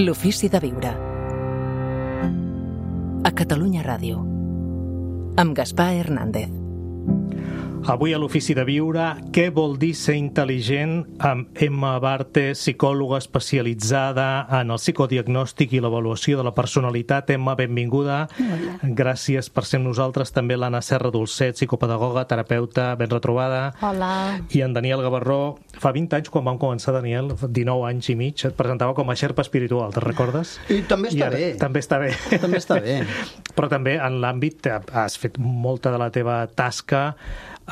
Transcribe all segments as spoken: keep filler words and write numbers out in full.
L'ofici de viure. A Catalunya Ràdio. Amb Gaspar Hernández. Avui a l'Ofici de Viure, què vol dir ser intel·ligent? Amb Emma Abarte, psicòloga especialitzada en el psicodiagnòstic i l'avaluació de la personalitat. Emma, benvinguda. Hola. Gràcies per ser amb nosaltres. També l'Anna Serra Dolcet, psicopedagoga, terapeuta, ben retrobada. Hola. I en Daniel Gavarró. Fa vint anys, quan vam començar, Daniel, dinou anys i mig, et presentava com a xerpa espiritual, te'n recordes? I també està I ara, bé. També està bé. També està bé. Però també en l'àmbit, has fet molta de la teva tasca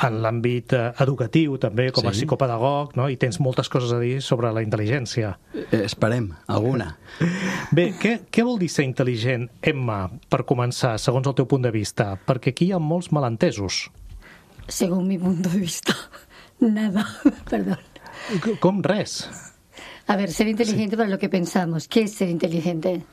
en l'àmbit educatiu, també, com a Sí. psicopedagog, no? I tens moltes coses a dir sobre la intel·ligència. Eh, esperem, alguna. Bé, què, què vol dir ser intel·ligent, Emma, per començar, segons el teu punt de vista? Perquè aquí hi ha molts malentesos. Según mi punto de vista, nada, perdón. Com res? A ver, ser inteligente para lo que pensamos. ¿Qué es ser inteligente?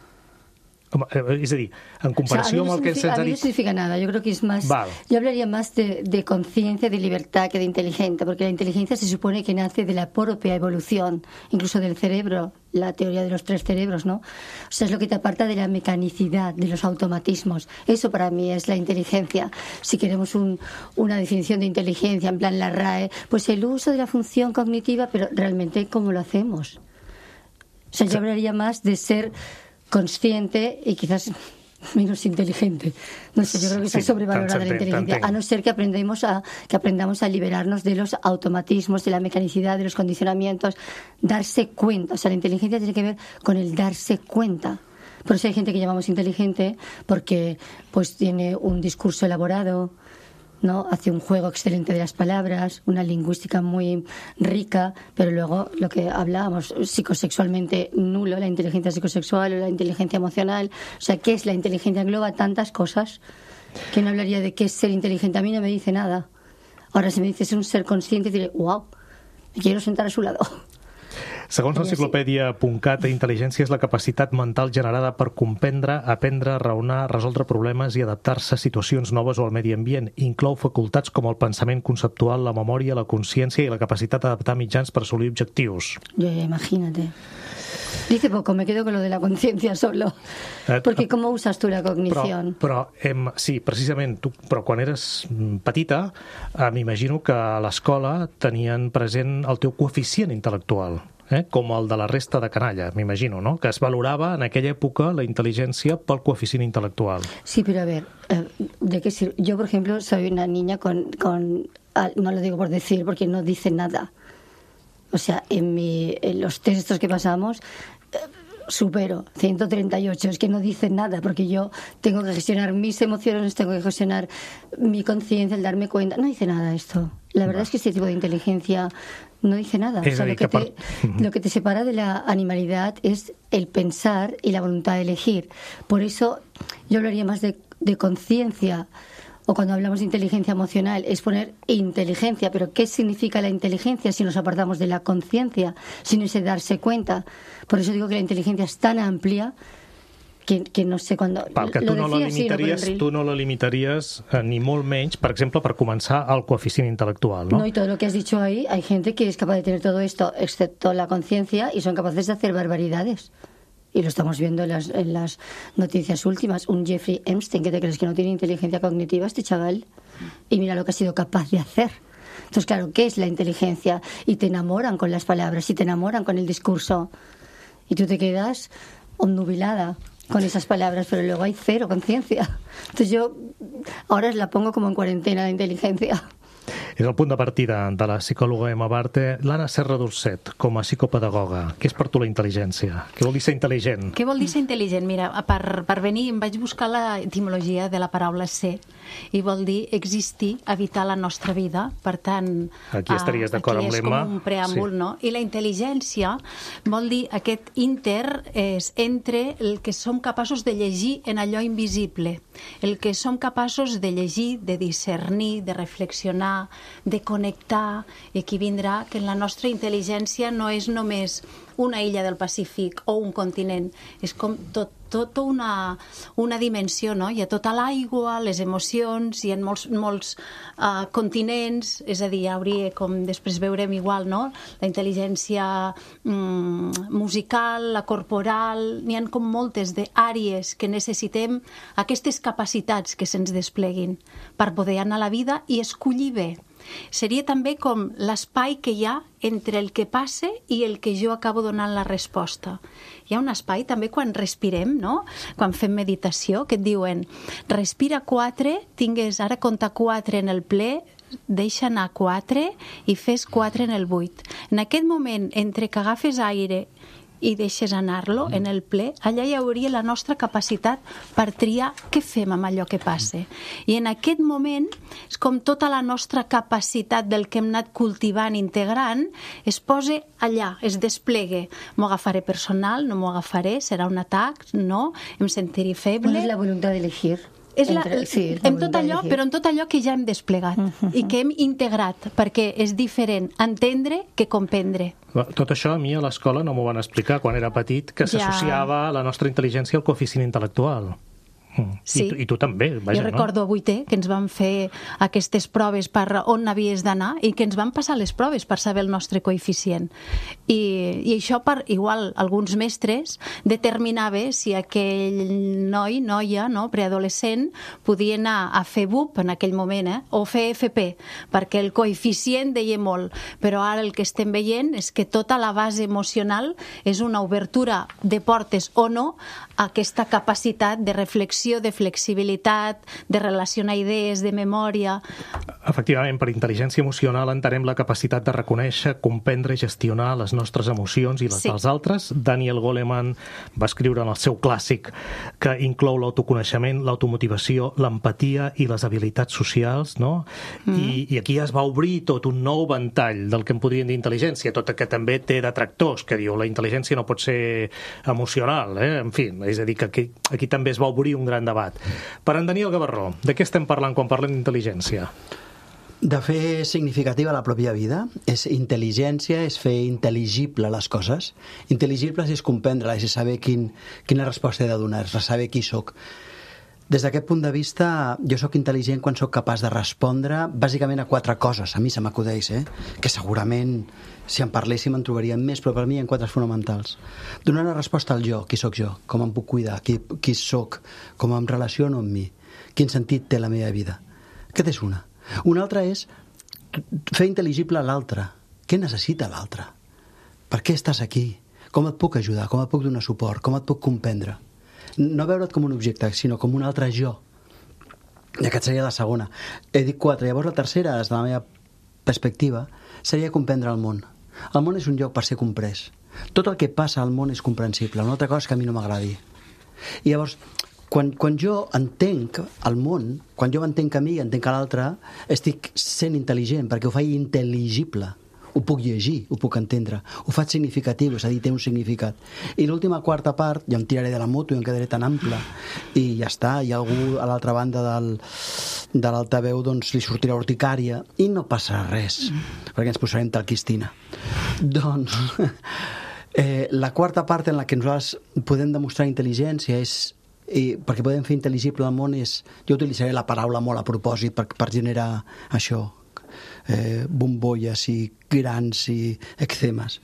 Com, eh, és a dir, en O sea, a mí comparació no amb el que significa- se'ns a ha mí no dit... significa nada. Yo creo que es más... Vale. Yo hablaría más de, de conciencia, de libertad que de inteligente, porque la inteligencia se supone que nace de la propia evolución, incluso del cerebro, la teoría de los tres cerebros, ¿no? O sea, es lo que te aparta de la mecanicidad, de los automatismos. Eso para mí es la inteligencia. Si queremos un, una definición de inteligencia, en plan la R A E, pues el uso de la función cognitiva, pero realmente ¿cómo lo hacemos? O sea, yo hablaría más de ser consciente y quizás menos inteligente. No sé, yo creo que está Sí, sobrevalorada la t'entenc, inteligencia, t'entenc. a no ser que aprendemos a que aprendamos a liberarnos de los automatismos, de la mecanicidad, de los condicionamientos, darse cuenta. O sea, la inteligencia tiene que ver con el darse cuenta. Por eso hay gente que llamamos inteligente porque pues tiene un discurso elaborado, ¿no? Hace un juego excelente de las palabras, una lingüística muy rica, pero luego lo que hablábamos, psicosexualmente nulo, la inteligencia psicosexual o la inteligencia emocional. O sea, ¿qué es la inteligencia? Engloba tantas cosas que no hablaría de qué es ser inteligente. A mí no me dice nada. Ahora, si me dices un ser consciente, diré, wow, me quiero sentar a su lado. Segons l'enciclopèdia punt cat, intel·ligència és la capacitat mental generada per comprendre, aprendre, raonar, resoldre problemes i adaptar-se a situacions noves o al medi ambient. Inclou facultats com el pensament conceptual, la memòria, la consciència i la capacitat d'adaptar mitjans per assolir objectius. Yo, imagínate. Dice poco, me quedo con lo de la conciencia solo. Eh, Porque ¿cómo usas tú la Però, cognición? però em, sí, precisament, tu, però quan eres mm, petita, eh, m'imagino que a l'escola tenien present el teu coeficient intel·lectual, eh? Com el de la resta de canalla, m'imagino, no? Que es valorava en aquella època la intel·ligència pel coeficient intel·lectual. Sí, pero a ver, eh, ¿de qué sirve? Yo, por ejemplo, soy una niña con, con... ah, no lo digo por decir, porque no dice nada. O sea, en, mi, en los textos que pasamos, eh, supero ciento treinta y ocho. Es que no dice nada, porque yo tengo que gestionar mis emociones, tengo que gestionar mi conciencia, el darme cuenta. No dice nada esto. La verdad Va. es que este tipo de inteligencia no dice nada. Es O sea, decir, lo, que que par- te, lo que te separa de la animalidad es el pensar y la voluntad de elegir. Por eso yo hablaría más de, de conciencia. O cuando hablamos de inteligencia emocional, es poner inteligencia. Pero ¿qué significa la inteligencia si nos apartamos de la conciencia, sin ese darse cuenta? Por eso digo que la inteligencia es tan amplia que, que no sé cuándo... Pel que tu no la decía, sí, no, por el limitaries, reel. tu no la limitaries eh, ni molt menys, per exemple, per començar el coeficient intel·lectual, no? No, y todo lo que has dicho ahí, hay gente que es capaz de tener todo esto, excepto la conciencia, y son capaces de hacer barbaridades. Y lo estamos viendo en las, en las noticias últimas. Un Jeffrey Epstein, que te crees que no tiene inteligencia cognitiva, este chaval, y mira lo que ha sido capaz de hacer. Entonces, claro, ¿qué es la inteligencia? Y te enamoran con las palabras, y te enamoran con el discurso. Y tú te quedas obnubilada con esas palabras, pero luego hay cero conciencia. Entonces yo ahora la pongo como en cuarentena, la inteligencia. És el punt de partida de la psicòloga Emma Abarte. L'Anna Serra Dolcet, com a psicopedagoga, què és per tu la intel·ligència? Què vol dir ser intel·ligent? Què vol dir ser intel·ligent? Mira, per, per venir em vaig buscar l'etimologia de la paraula ser i vol dir existir, habitar la nostra vida. Per tant, Aquí estaries d'acord amb l'Emma. Aquí és com un preàmbul, Sí. no? I la intel·ligència vol dir aquest inter és entre el que som capaços de llegir en allò invisible, el que som capaços de llegir, de discernir, de reflexionar, de connectar, i aquí vindrà que la nostra intel·ligència no és només una illa del Pacífic o un continent. És com tot tota una, una dimensió, no? Hi ha tota l'aigua, les emocions, hi ha molts, molts uh, continents, és a dir, hi hauria, com després veurem igual, no? La intel·ligència mm, musical, la corporal, n'hi ha com moltes d'àrees que necessitem aquestes capacitats que se'ns despleguin per poder anar a la vida i escollir bé. Seria també com l'espai que hi ha entre el que passa i el que jo acabo donant la resposta. Hi ha un espai també quan respirem, no? Quan fem meditació, que et diuen respira quatre, tingues ara compta quatre en el ple, deixa anar quatre i fes quatre en el vuit. En aquest moment, entre que agafes aire i deixes anar-lo en el ple, allà hi hauria la nostra capacitat per triar què fem amb allò que passa. I en aquest moment és com tota la nostra capacitat del que hem anat cultivant, integrant, es posa allà, es desplegue. M'ho agafaré personal, no m'ho agafaré, serà un atac, no, em sentiré feble. No és la voluntat d'elegir. És la, Entre, sí, és la en tot allò, però en tot allò que ja hem desplegat uh-huh. i que hem integrat, perquè és diferent entendre que comprendre. Tot això a mi a l'escola no m'ho van explicar quan era petit, que s'associava ja. la nostra intel·ligència al coeficient intel·lectual. Sí. I, tu, I tu també, vaja, jo recordo a vuitè que ens van fer aquestes proves per on havies d'anar i que ens van passar les proves per saber el nostre coeficient. I, i això per, igual, alguns mestres determinava si aquell noi, noia, no, preadolescent, podia anar a fer B U P en aquell moment, eh, o fer F P, perquè el coeficient deia molt. Però ara el que estem veient és que tota la base emocional és una obertura de portes o no a aquesta capacitat de reflexió, de flexibilitat, de relacionar idees, de memòria. Efectivament, per intel·ligència emocional entenem la capacitat de reconèixer, comprendre i gestionar les nostres emocions i les sí. dels altres. Daniel Goleman va escriure en el seu clàssic que inclou l'autoconeixement, l'automotivació, l'empatia i les habilitats socials, no? Mm. I, I aquí es va obrir tot un nou ventall del que en podríem dir intel·ligència, tot que també té detractors, que diu la intel·ligència no pot ser emocional, eh? En fi, és a dir, que aquí, aquí també es va obrir un gran debat. Per en Daniel Gavarró, de què estem parlant quan parlem d'intel·ligència? De fer significativa la pròpia vida. És intel·ligència, és fer intel·ligible les coses. Intel·ligibles és comprendre-les, és saber quin, quina resposta he de donar, és saber qui sóc. Des d'aquest punt de vista, jo sóc intel·ligent quan sóc capaç de respondre bàsicament a quatre coses, a mi se m'acudeix, eh? Que segurament si en parléssim en trobaríem més, però per mi hi ha quatre fonamentals. Donar una resposta al jo, qui sóc jo, com em puc cuidar, qui, qui sóc, com em relaciono amb mi, quin sentit té la meva vida. Aquesta és una. Una altra és fer intel·ligible l'altre. Què necessita l'altre? Per què estàs aquí? Com et puc ajudar? Com et puc donar suport? Com et puc comprendre? No veure't com un objecte, sinó com un altre jo. I aquesta seria la segona. He dit quatre. Llavors la tercera, des de la meva perspectiva, seria comprendre el món. El món és un lloc per ser comprès. Tot el que passa al món és comprensible. Una altra cosa és que a mi no m'agradi. I llavors, quan, quan jo entenc el món, quan jo m'entenc a mi i entenc a l'altre, estic sent intel·ligent, perquè ho faig intel·ligible. Ho puc llegir, ho puc entendre, ho faig significatiu, és a dir, té un significat. I l'última quarta part, ja em tiraré de la moto i em quedaré tan ample, i ja està, hi ha algú a l'altra banda del, de l'altaveu, doncs li sortirà urticària, i no passarà res, mm. perquè ens posarem talquistina. Doncs, eh, la quarta part en la que nosaltres podem demostrar intel·ligència és, i perquè podem fer intel·ligible el món és, jo utilitzaré la paraula molt a propòsit per, per generar això, Eh, bombolles i grans i eczemes,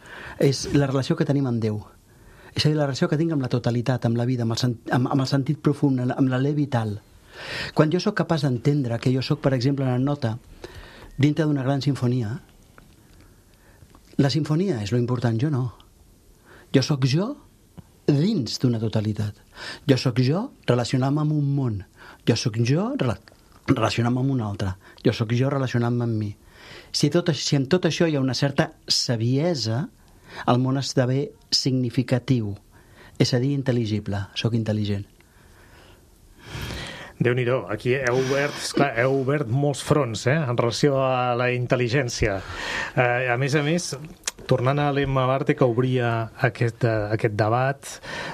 és la relació que tenim amb Déu, és a dir, la relació que tinc amb la totalitat, amb la vida, amb el, sent, amb, amb el sentit profund, amb la llei vital. Quan jo sóc capaç d'entendre que jo sóc, per exemple, una nota dintre d'una gran sinfonia, la sinfonia és lo important, jo no. Jo sóc jo dins d'una totalitat. Jo sóc jo relacionant-me amb un món. Jo sóc jo relacionant-me amb un altre. Jo sóc jo relacionant-me amb mi. Si, tot, si en tot això hi ha una certa saviesa, el món esdevé significatiu, és a dir, intel·ligible. Soc intel·ligent. Déu-n'hi-do, aquí heu obert, esclar, heu obert molts fronts, eh, en relació a la intel·ligència. Eh, a més a més, tornant a l'Emma Barte, que obria aquest, uh, aquest debat,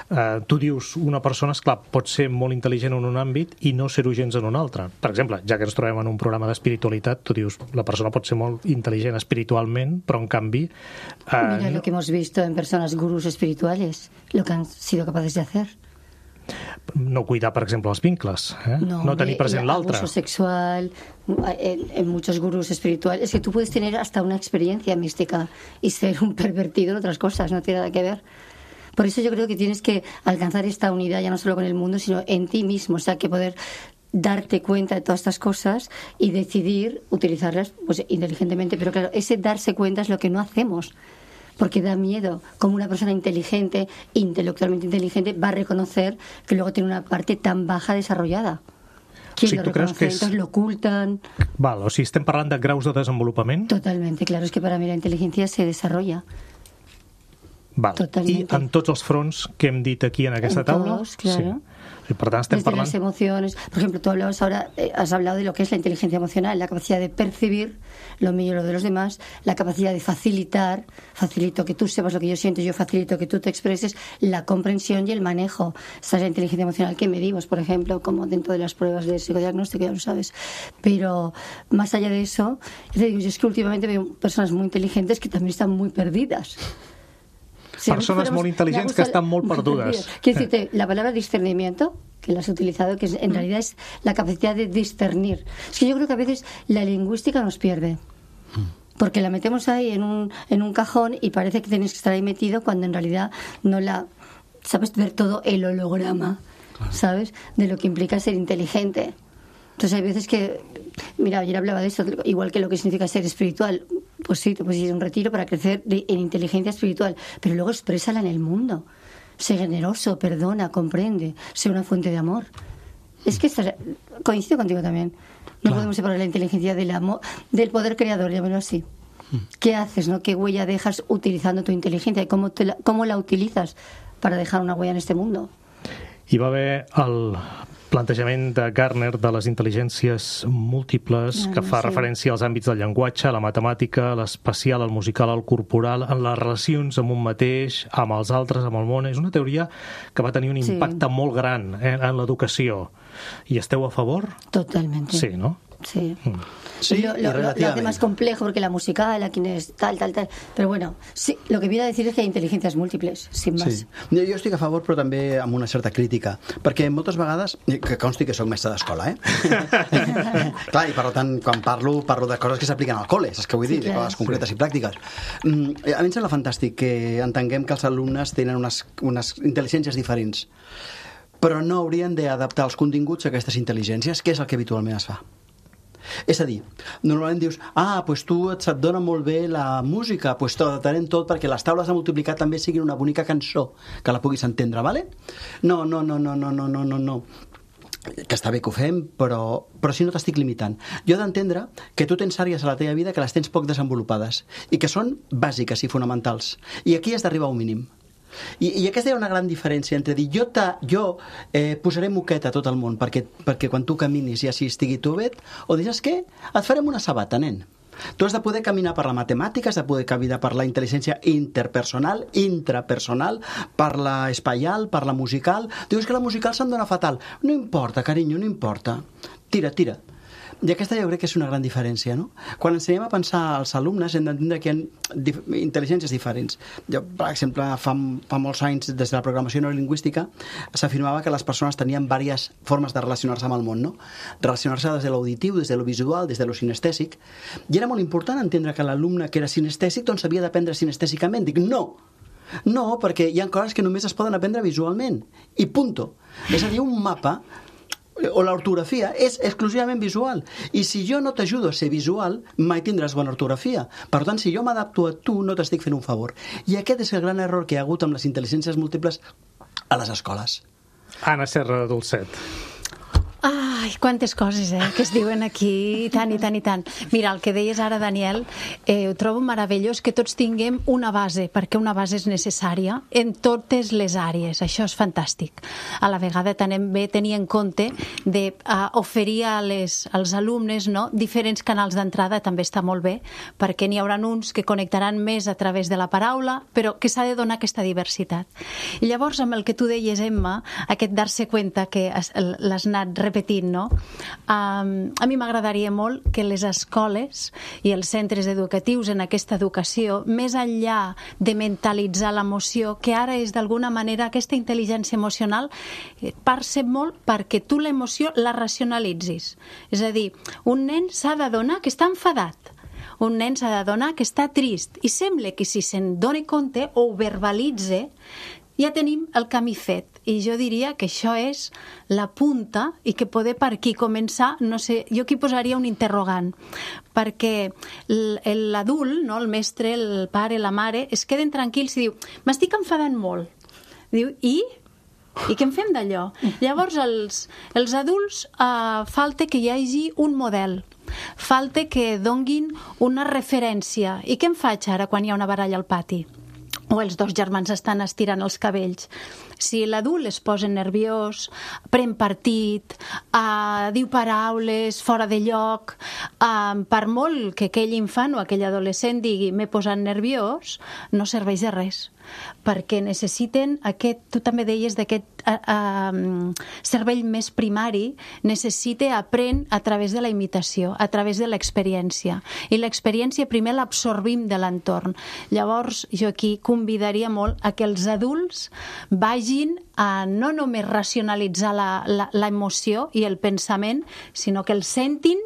uh, tu dius, una persona, esclar, pot ser molt intel·ligent en un àmbit i no ser-ho gens en un altre. Per exemple, ja que ens trobem en un programa d'espiritualitat, tu dius, la persona pot ser molt intel·ligent espiritualment, però en canvi... Uh, Mira lo que hemos visto en personas gurús espirituales, lo que han sido capaces de hacer. No cuidar, per exemple, els vincles, eh? no, no tenir present l'altre. Abuso sexual, en, en muchos gurús espirituales. Es que tú puedes tener hasta una experiencia mística y ser un pervertido en otras cosas, no tiene nada que ver. Por eso yo creo que tienes que alcanzar esta unidad ya no solo con el mundo, sino en ti mismo, o sea, que poder darte cuenta de todas estas cosas y decidir utilizarlas pues inteligentemente. Pero claro, ese darse cuenta es lo que no hacemos. Porque da miedo como una persona inteligente, intelectualmente inteligente, va a reconocer que luego tiene una parte tan baja desarrollada. ¿Quién Sí, lo tu creus reconoce? que és- Entonces lo ocultan. Val, o sigui, estem parlant de graus de desenvolupament? Totalmente, claro, es que para mí la inteligencia se desarrolla. Val. Totalmente. I en tots els fronts que hem dit aquí en aquesta En taula? todos, claro. Sí. I per tant, estem Desde parlant... las emociones. Por ejemplo, tú hablabas ahora, eh, has hablado de lo que es la inteligencia emocional, la capacidad de percibir lo mío y lo de los demás, la capacidad de facilitar, facilito que tú sepas lo que yo siento, yo facilito que tú te expreses, la comprensión y el manejo. Esta es la inteligencia emocional que medimos, por ejemplo, como dentro de las pruebas de psicodiagnóstico, ya lo sabes. Pero más allá de eso, yo te digo, yo es que últimamente veo personas muy inteligentes que también están muy perdidas. Si Persones molt intel·ligents que estan molt perdudes. Quiero decirte, la palabra discernimiento, que la has utilizado, que es- en realidad es la capacidad de discernir. Es que yo creo que a veces la lingüística nos pierde. Porque la metemos ahí en un, en un cajón y parece que tienes que estar ahí metido cuando en realidad no la... Sabes ver todo el holograma, ¿sabes? De lo que implica ser inteligente. Entonces hay veces que... Mira, ayer hablaba de esto, igual que lo que significa ser espiritual. Pues sí, te puedes ir a un retiro para crecer de- en inteligencia espiritual, pero luego exprésala en el mundo. Sé generoso, perdona, comprende, sé una fuente de amor. Es que esta- coincido contigo también. No Claro. podemos separar la inteligencia del amor, del poder creador, llámelo así. ¿Qué haces, no? ¿Qué huella dejas utilizando tu inteligencia y cómo, te la, cómo la utilizas para dejar una huella en este mundo? Hi va haver el plantejament de Gardner de les intel·ligències múltiples, Ah, que fa sí. referència als àmbits del llenguatge, a la matemàtica, a l'espacial, al musical, al corporal, en les relacions amb un mateix, amb els altres, amb el món. És una teoria que va tenir un Sí. impacte molt gran eh, en l'educació. I esteu a favor? Totalmente. Sí, no? Sí. Sí, lo, y lo- lo- lo hace relativamente. más complejo porque la musical, aquí es tal, tal, tal. Pero bueno, sí, lo que viene a decir es que hay inteligencias múltiples, sin más. Sí. Jo jo estic a favor, però també amb una certa crítica, perquè moltes vegades, que consti que soc mestre d'escola, eh? Clar, i per tant, quan parlo, parlo de coses que s'apliquen al col·le, saps què vull dir? Sí, De clar. coses concretes i pràctiques. Mm, a mi em sembla fantàstic que entenguem que els alumnes tenen unes, unes intel·ligències diferents, però no haurien d'adaptar els continguts a aquestes intel·ligències, que és el que habitualment es fa. És a dir, normalment dius, ah, doncs tu et se't dona molt bé la música, doncs t'ho adaptarem tot perquè les taules de multiplicar també siguin una bonica cançó, que la puguis entendre, vale? No, no, no, no, no, no, no, no, no. Que està bé que ho fem, però, però si no t'estic limitant. Jo he d'entendre que tu tens àrees a la teva vida que les tens poc desenvolupades i que són bàsiques i fonamentals. I aquí has d'arribar a un mínim. I, i aquesta hi ha una gran diferència entre dir jo, ta, jo eh, posaré moqueta a tot el món perquè, perquè quan tu caminis i així estigui tu bé, o dir, saps què? Et farem una sabata, nen. Tu has de poder caminar per la matemàtica, has de poder caminar per la intel·ligència interpersonal, intrapersonal, per la espaial, per la musical. Dius que la musical se'm dona fatal. No importa, carinyo, no importa. Tira, tira. I aquesta jo crec que és una gran diferència, no? Quan ensenyem a pensar als alumnes hem d'entendre que hi ha dif intel·ligències diferents. Jo, per exemple, fa, fa molts anys, des de la programació neurolingüística, s'afirmava que les persones tenien diverses formes de relacionar-se amb el món, no? Relacionar-se des de l'auditiu, des de lo visual, des de lo sinestèsic. I era molt important entendre que l'alumne que era sinestèsic doncs havia d'aprendre sinestèsicament. Dic, no! No, perquè hi ha coses que només es poden aprendre visualment. I punto. És a dir, un mapa o l'ortografia és exclusivament visual, i si jo no t'ajudo a ser visual mai tindràs bona ortografia. Per tant, si jo m'adapto a tu no t'estic fent un favor, i aquest és el gran error que hi ha hagut amb les intel·ligències múltiples a les escoles. Anna Serra Dolcet. Ai, quantes coses, eh, que es diuen aquí, i tant, i tant, i tant. Mira, el que deies ara, Daniel, eh, ho trobo meravellós que tots tinguem una base, perquè una base és necessària en totes les àrees. Això és fantàstic. A la vegada també tenir en compte d'oferir uh, a les, als alumnes, no, diferents canals d'entrada també està molt bé, perquè n'hi haurà uns que connectaran més a través de la paraula, però que s'ha de donar aquesta diversitat. I llavors, amb el que tu deies, Emma, aquest dar-se cuenta que l'has anat repetint, no? Um, a mi m'agradaria molt que les escoles i els centres educatius en aquesta educació, més enllà de mentalitzar l'emoció, que ara és d'alguna manera aquesta intel·ligència emocional, passa molt perquè tu l'emoció la racionalitzis. És a dir, un nen s'ha d'adonar que està enfadat, un nen s'ha d'adonar que està trist, i sembla que si se'n doni compte o ho verbalitze, ja tenim el camí fet. I jo diria que això és la punta i que poder per aquí començar, no sé, jo aquí posaria un interrogant, perquè l'adult, no, el mestre, el pare, la mare, es queden tranquils i diu, m'estic enfadant molt. Diu, i? I què en fem d'allò? Llavors, els, els adults eh, falta que hi hagi un model, falta que donguin una referència. I què en faig ara quan hi ha una baralla al pati? O els dos germans estan estirant els cabells. Si l'adult es posa nerviós, pren partit, uh, diu paraules fora de lloc, uh, per molt que aquell infant o aquell adolescent digui m'he posat nerviós, no serveix de res, perquè necessiten aquest, tu també deies d'aquest uh, uh, cervell més primari, necessita aprendre a través de la imitació, a través de l'experiència, i l'experiència primer l'absorbim de l'entorn. Llavors jo aquí convidaria molt a que els adults vagin a no només racionalitzar l'emoció i el pensament, sinó que el sentin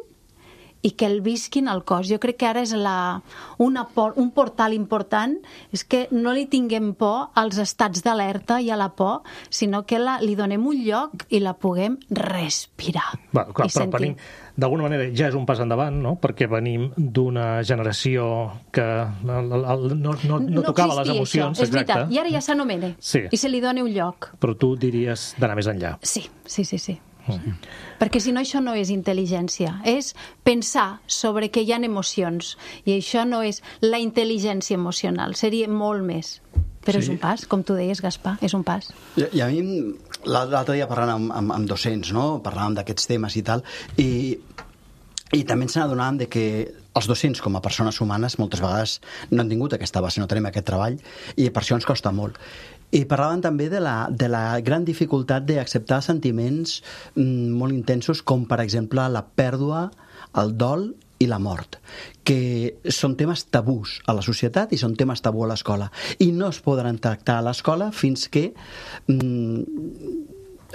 i que el visquin al cos. Jo crec que ara és la, una, un portal important, és que no li tinguem por als estats d'alerta i a la por, sinó que la, li donem un lloc i la puguem respirar. Bueno, clar, i però sentir. venim, d'alguna manera ja és un pas endavant, no? Perquè venim d'una generació que no, no, no, no tocava no les emocions. Això, és exacte. veritat, i ara ja s'anomena, sí. I se li dona un lloc. Però tu diries d'anar més enllà. Sí, sí, sí, sí. Mm. Perquè si no això no és intel·ligència, és pensar sobre que hi ha emocions, i això no és la intel·ligència emocional, seria molt més. Però sí. És un pas, com tu deies, Gaspar, és un pas. I, i a mi, l'altre dia parlant amb, amb, amb docents, no? Parlàvem d'aquests temes i tal, i, i també ens n'adonàvem de que els docents, com a persones humanes, moltes vegades no han tingut aquesta base, no tenim aquest treball, i per això ens costa molt. I parlaven també de la, de la gran dificultat d'acceptar sentiments mm, molt intensos, com per exemple la pèrdua, el dol i la mort, que són temes tabús a la societat i són temes tabú a l'escola. I no es podran tractar a l'escola fins que... Mm,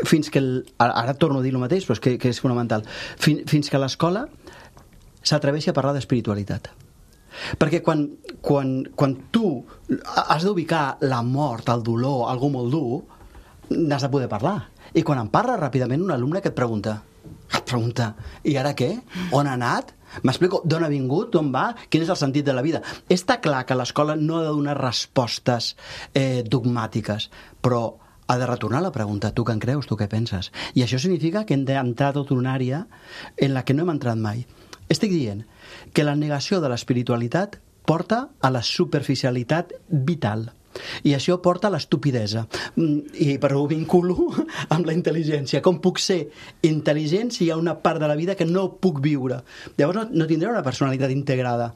fins que... El, ara torno a dir el mateix, però és que, que és fonamental. Fins, fins que l'escola s'atreveixi a parlar d'espiritualitat. Perquè quan, quan, quan tu has d'ubicar la mort, el dolor, algú molt dur, n'has de poder parlar. I quan en parla ràpidament un alumne que et pregunta, et pregunta, i ara què? On ha anat? M'explico, d'on ha vingut? D'on va? Quin és el sentit de la vida? Està clar que l'escola no ha de donar respostes eh, dogmàtiques, però ha de retornar la pregunta, tu què en creus, tu què penses? I això significa que hem d'entrar a tota una àrea en la que no hem entrat mai. Estic dient que la negació de l'espiritualitat porta a la superficialitat vital. I això porta a l'estupidesa. I però ho vinculo amb la intel·ligència. Com puc ser intel·ligent si hi ha una part de la vida que no puc viure? Llavors no, no tindré una personalitat integrada,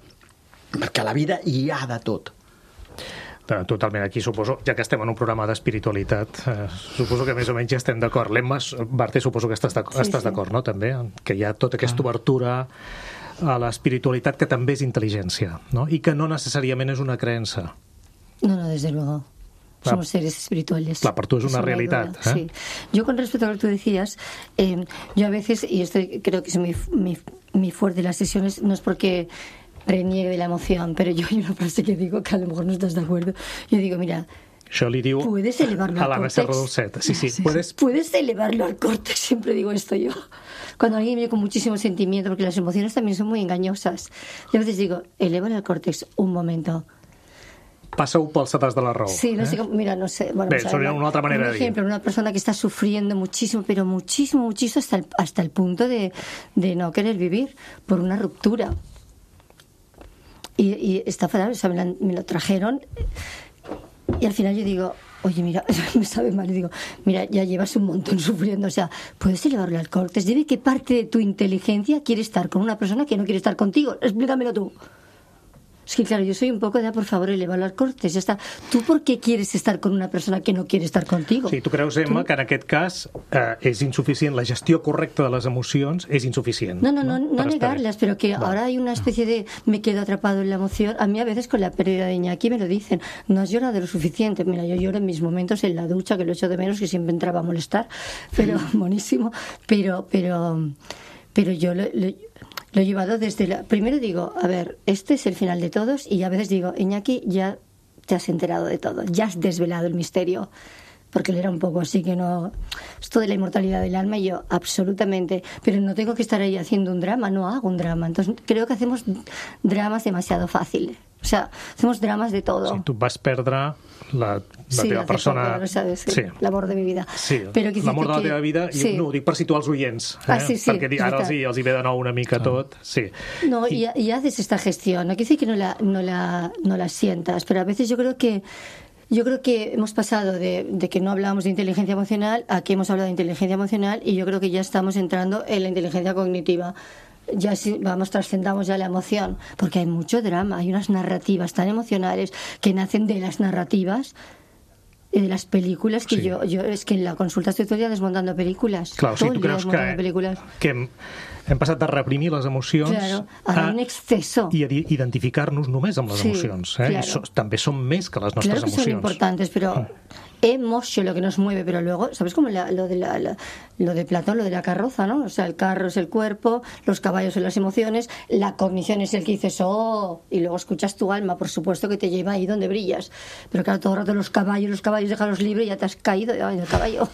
perquè a la vida hi ha de tot. Totalment, aquí suposo, ja que estem en un programa d'espiritualitat, eh, suposo que més o menys ja estem d'acord. L'Emma, Barté, suposo que estàs d'acord, sí, estàs d'acord, no?, també, que hi ha tota aquesta obertura a l'espiritualitat que també és intel·ligència, no?, i que no necessàriament és una creença. No, no, desde luego. Clar. Somos seres espirituales. Claro, para tú es una realidad. ¿eh? Sí. Yo con respecto a lo que tú decías, eh, yo a veces, y esto creo que es muy, muy, muy fuerte en las sesiones, no es porque reniegue de la emoción, pero yo hay una frase que digo que a lo mejor no estás de acuerdo. Yo digo, mira, això li diu puedes elevarlo a la al Serra córtex. del Set. Sí, sí, sí, puedes... puedes elevarlo al córtex, siempre digo esto yo. Cuando alguien viene con muchísimo sentimiento, porque las emociones también son muy engañosas. Yo a veces digo, elévalo al córtex un momento. passa-ho pel sedàs de la raó. Sí, no sé cómo, mira, no sé. Bueno, Bé, o sea, sería una otra manera un de ejemplo, una persona que está sufriendo muchísimo, pero muchísimo, muchísimo, hasta el, hasta el punto de, de no querer vivir por una ruptura. Y, y está fatal, o sea, me, la, me lo trajeron y al final yo digo, oye, mira, me sabe mal, y digo, mira, ya llevas un montón sufriendo, o sea, puedes elevarlo al cortes. Dime qué parte de tu inteligencia quiere estar con una persona que no quiere estar contigo. Explícamelo tú. Es que claro, yo soy un poco de, por favor, elevarlo al cortes, ja està. Tu per què quieres estar con una persona que no quiere estar contigo? Sí, tu creus, Emma, tu... que en aquest cas eh, és insuficient, la gestió correcta de les emocions és insuficient. No, no, no, no, no negarlas, pero que Va. ahora hay una especie de me quedo atrapado en la emoción. A mí a veces con la pérdida de Iñaki me lo dicen, no has llorado lo suficiente. Mira, yo lloro en mis momentos en la ducha, que lo echo de menos, que siempre entraba a molestar, pero buenísimo, pero, pero, pero yo lo... lo Lo he llevado desde la... Primero digo, a ver, este es el final de todos, y a veces digo, Iñaki, ya te has enterado de todo, ya has desvelado el misterio, porque él era un poco así que no... Esto de la inmortalidad del alma, y yo, absolutamente, pero no tengo que estar ahí haciendo un drama, no hago un drama. Entonces creo que hacemos dramas demasiado fáciles. O sea, hacemos dramas de todo. Sí, tu vas perdre la, la sí, teva persona... Poco, no sabes, sí. L'amor de mi vida. Sí, Però l'amor de la que... teva vida, sí. i no, ho dic per situar els oients, eh? Ah, sí, sí, perquè ara els hi, els hi ve de nou una mica tot. Sí. No, y, y haces esta gestión. No quiere decir que no la, no, la, no la sientas, pero a veces yo creo que Yo creo que hemos pasado de, de que no hablábamos de inteligencia emocional a que hemos hablado de inteligencia emocional, y yo creo que ya estamos entrando en la inteligencia cognitiva. Ya sí, vamos, trascendamos ya la emoción, porque hay mucho drama, hay unas narrativas tan emocionales que nacen de las narrativas y de las películas que sí. yo, yo es que en la consulta estoy todo el día desmontando películas. Claro, todo sí, tu creus que, películas. que hem, hem passat de reprimir les emocions claro, a, a un exceso i a identificar-nos només amb les sí, emocions. Eh? Claro. I so, també són més que les nostres claro que emocions. Son importantes, pero emoción lo que nos mueve, pero luego, ¿sabes cómo la, lo, de la, la, lo de Platón, lo de la carroza, ¿no? O sea, el carro es el cuerpo, los caballos son las emociones, la cognición es el que dices, oh, y luego escuchas tu alma, por supuesto que te lleva ahí donde brillas. Pero claro, todo el rato los caballos, los caballos, déjalos libres y ya te has caído en el caballo.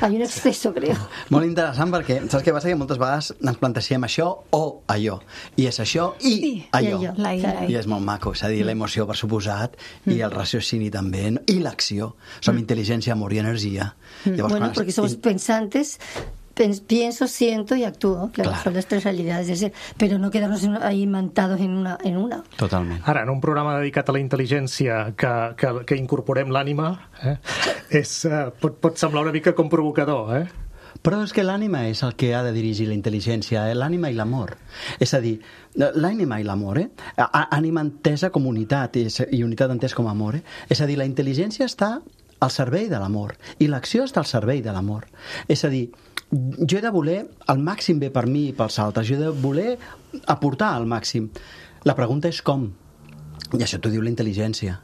Hay un exceso, creo. Molt interessant, perquè saps què passa? Que moltes vegades ens plantegem això o allò. I és això i sí, allò. I, allò. La, la, I és molt maco. És a dir, l'emoció, per suposat, mm. i el raciocini també, no? I l'acció. Som mm. intel·ligència, amor i energia. Mm. Llavors, bueno, perquè somos pensantes, pienso, siento y actúo. Claro, claro. Son las tres realidades de ser. Pero no quedarnos ahí imantados en una, en una. Totalment. Ara, en un programa dedicat a la intel·ligència que, que, que incorporem l'ànima, eh, és, uh, pot, pot semblar una mica com provocador, eh? Però és que l'ànima és el que ha de dirigir la intel·ligència, eh? L'ànima i l'amor. És a dir, l'ànima i l'amor, eh? Ànima entesa com unitat i unitat entesa com amor, eh? És a dir, la intel·ligència està al servei de l'amor i l'acció està al servei de l'amor. És a dir, jo he de voler el màxim bé per mi i pels altres, jo he de voler aportar al màxim. La pregunta és com, i això t'ho diu la intel·ligència.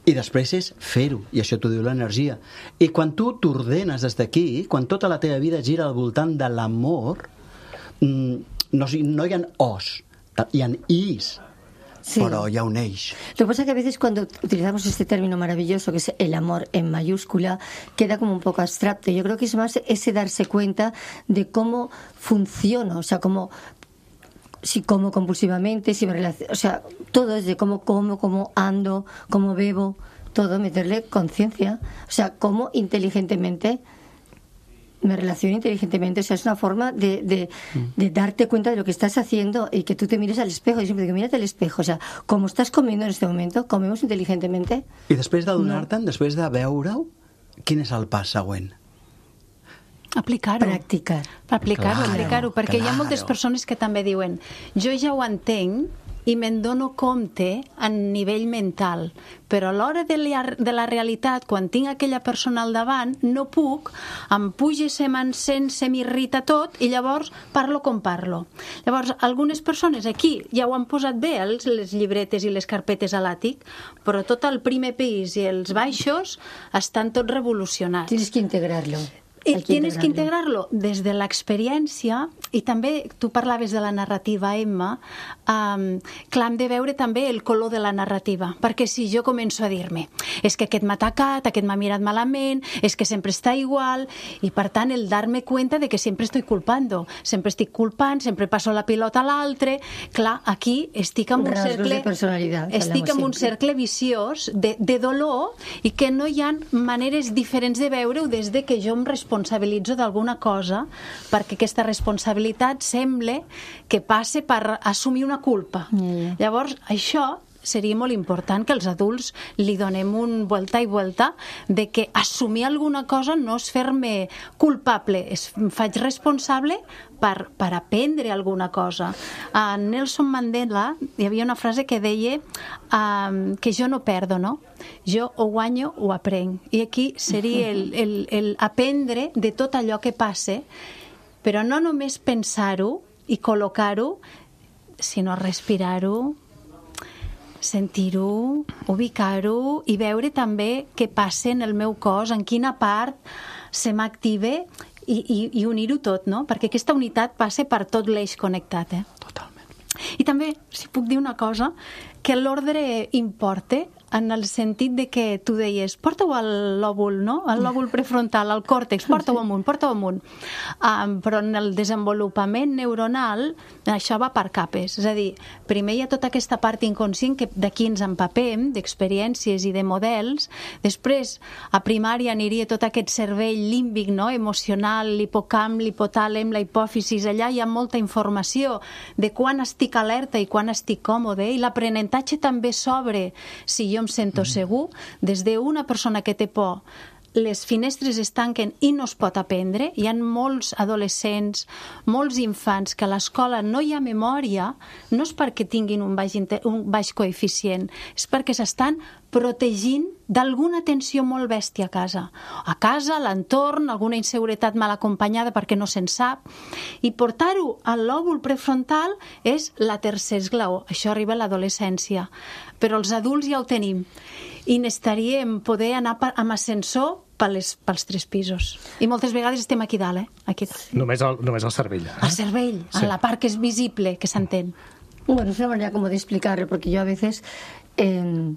I després és fer-ho, i això t'ho diu l'energia. I quan tu t'ordenes des d'aquí, quan tota la teva vida gira al voltant de l'amor, no, no hi ha os, hi ha is. Sí. Pero ya un eix. Lo que pasa es que a veces cuando utilizamos este término maravilloso que es el amor en mayúscula, queda como un poco abstracto. Yo creo que es más ese darse cuenta de cómo funciona, o sea, cómo si como compulsivamente, si me relaciono, o sea, todo es de cómo como, cómo ando, cómo bebo, todo, meterle conciencia, o sea, cómo inteligentemente me relaciono inteligentemente, o sea, es una forma de, de, de darte cuenta de lo que estás haciendo y que tú te mires al espejo. Yo siempre digo, mírate al espejo, o sea, como estás comiendo en este momento, comemos inteligentemente. I després d'adonar-te'n, no. després de veure-ho, quin és el pas següent? Aplicar-ho. Practicar. Aplicar-ho, claro, aplicar-ho, perquè claro. Hi ha moltes persones que també diuen, jo ja ho entenc i me'n dono compte a nivell mental, però a l'hora de la, de la realitat, quan tinc aquella persona al davant, no puc, em puja, se m'encén, se m'irrita tot, i llavors parlo com parlo. Llavors, algunes persones aquí ja ho han posat bé, els, les llibretes i les carpetes a l'àtic, però tot el primer pis i els baixos estan tots revolucionats. Tienes que integrarlo. I tienes que integrarlo des de l'experiència, i també tu parlaves de la narrativa, Emma, um, clar, hem de veure també el color de la narrativa, perquè si jo començo a dir-me és que aquest m'ha atacat, aquest m'ha mirat malament, és que sempre està igual, i per tant el dar-me cuenta de que sempre estoy culpando, sempre estic culpant, sempre passo la pilota a l'altre, clar, aquí estic en un Rasgos cercle de personalitat, estic en un cercle viciós de, de dolor, i que no hi ha maneres diferents de veure-ho des de que jo em responsabilitzo d'alguna cosa, perquè aquesta responsabilitat sembla que passe per assumir una culpa. Mm. Llavors, això seria molt important que els adults li donem un vuelta i vuelta de que assumir alguna cosa no és fer-me culpable, es faig responsable per, per aprendre alguna cosa. A Nelson Mandela hi havia una frase que deia um, que jo no perdo, no? Jo o guanyo o aprenc. I aquí seria el, el, el aprendre de tot allò que passe, però no només pensar-ho i col·locar-ho, sinó respirar-ho, sentir-ho, ubicar-ho i veure també què passa en el meu cos, en quina part se m'activa i, i, i unir-ho tot, no? Perquè aquesta unitat passa per tot l'eix connectat, eh? Totalment. I també, si puc dir una cosa, que l'ordre importa en el sentit de que tu deies porta-ho al lòbul, no? Al lòbul prefrontal, al còrtex, porta-ho amunt, porta-ho amunt. Um, però en el desenvolupament neuronal això va per capes. És a dir, primer hi ha tota aquesta part inconscient que d'aquí ens empapem, d'experiències i de models. Després, a primària aniria tot aquest cervell límbic, no? Emocional, l'hipocamp, l'hipotàlem, la hipòfisis. Allà hi ha molta informació de quan estic alerta i quan estic còmode, i l'aprenentatge també s'obre si jo em sento segur. Des d'una persona que té por, les finestres es tanquen i no es pot aprendre. Hi ha molts adolescents, molts infants que a l'escola no hi ha memòria, no és perquè tinguin un baix, un baix coeficient, és perquè s'estan protegint d'alguna tensió molt bèstia a casa. A casa, a l'entorn, alguna inseguretat mal acompanyada perquè no se'n sap. I portar-ho al lòbul prefrontal és la tercer esglaó. Això arriba a l'adolescència. Però els adults ja ho tenim. I necessitaríem poder anar amb ascensor pels, pels tres pisos. I moltes vegades estem aquí dalt, eh? Aquí dalt. Només el, només el cervell. Eh? El cervell, sí. En la part que és visible, que s'entén. Bueno, es una manera como de explicarlo, porque yo a veces... Eh,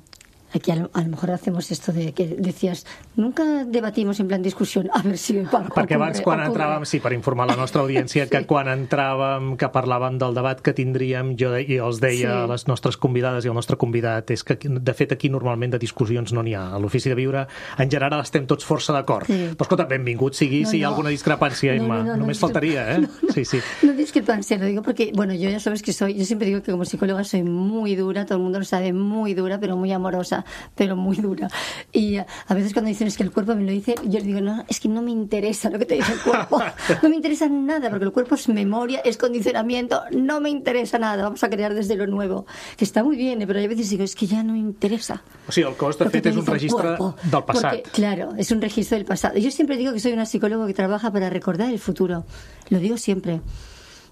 aquí a lo, a lo mejor hacemos esto de que decías, nunca debatimos en plan discussió, a ver si... Perquè abans quan ocurre. entràvem, sí, per informar la nostra audiència, sí. que quan entràvem, que parlàvem del debat que tindríem, jo de, i els deia sí. a les nostres convidades i el nostre convidat, és que de fet aquí normalment de discussions no n'hi ha. A l'Ofici de Viure en general estem tots força d'acord. Sí. Però escolta, benvingut sigui no, si hi ha no. alguna discrepància, Emma. No, no, no, Només no, faltaria, ¿eh? No, no, sí, sí. no discrepancia, lo digo porque, bueno, yo ya sabes que soy, yo siempre digo que como psicóloga soy muy dura, todo el mundo lo sabe, muy dura, pero muy amorosa, pero muy dura. Y a veces cuando dicen es que el cuerpo me lo dice, yo le digo, no, es que no me interesa lo que te dice el cuerpo. No me interesa nada, porque el cuerpo es memoria, es condicionamiento, no me interesa nada. Vamos a crear desde lo nuevo. Que está muy bien, pero a veces digo, es que ya no me interesa. O sigui, el cos, de fet, és un registre del passat. Porque, claro, es un registro del pasado. Yo siempre digo que soy una psicóloga que trabaja para recordar el futuro. Lo digo siempre.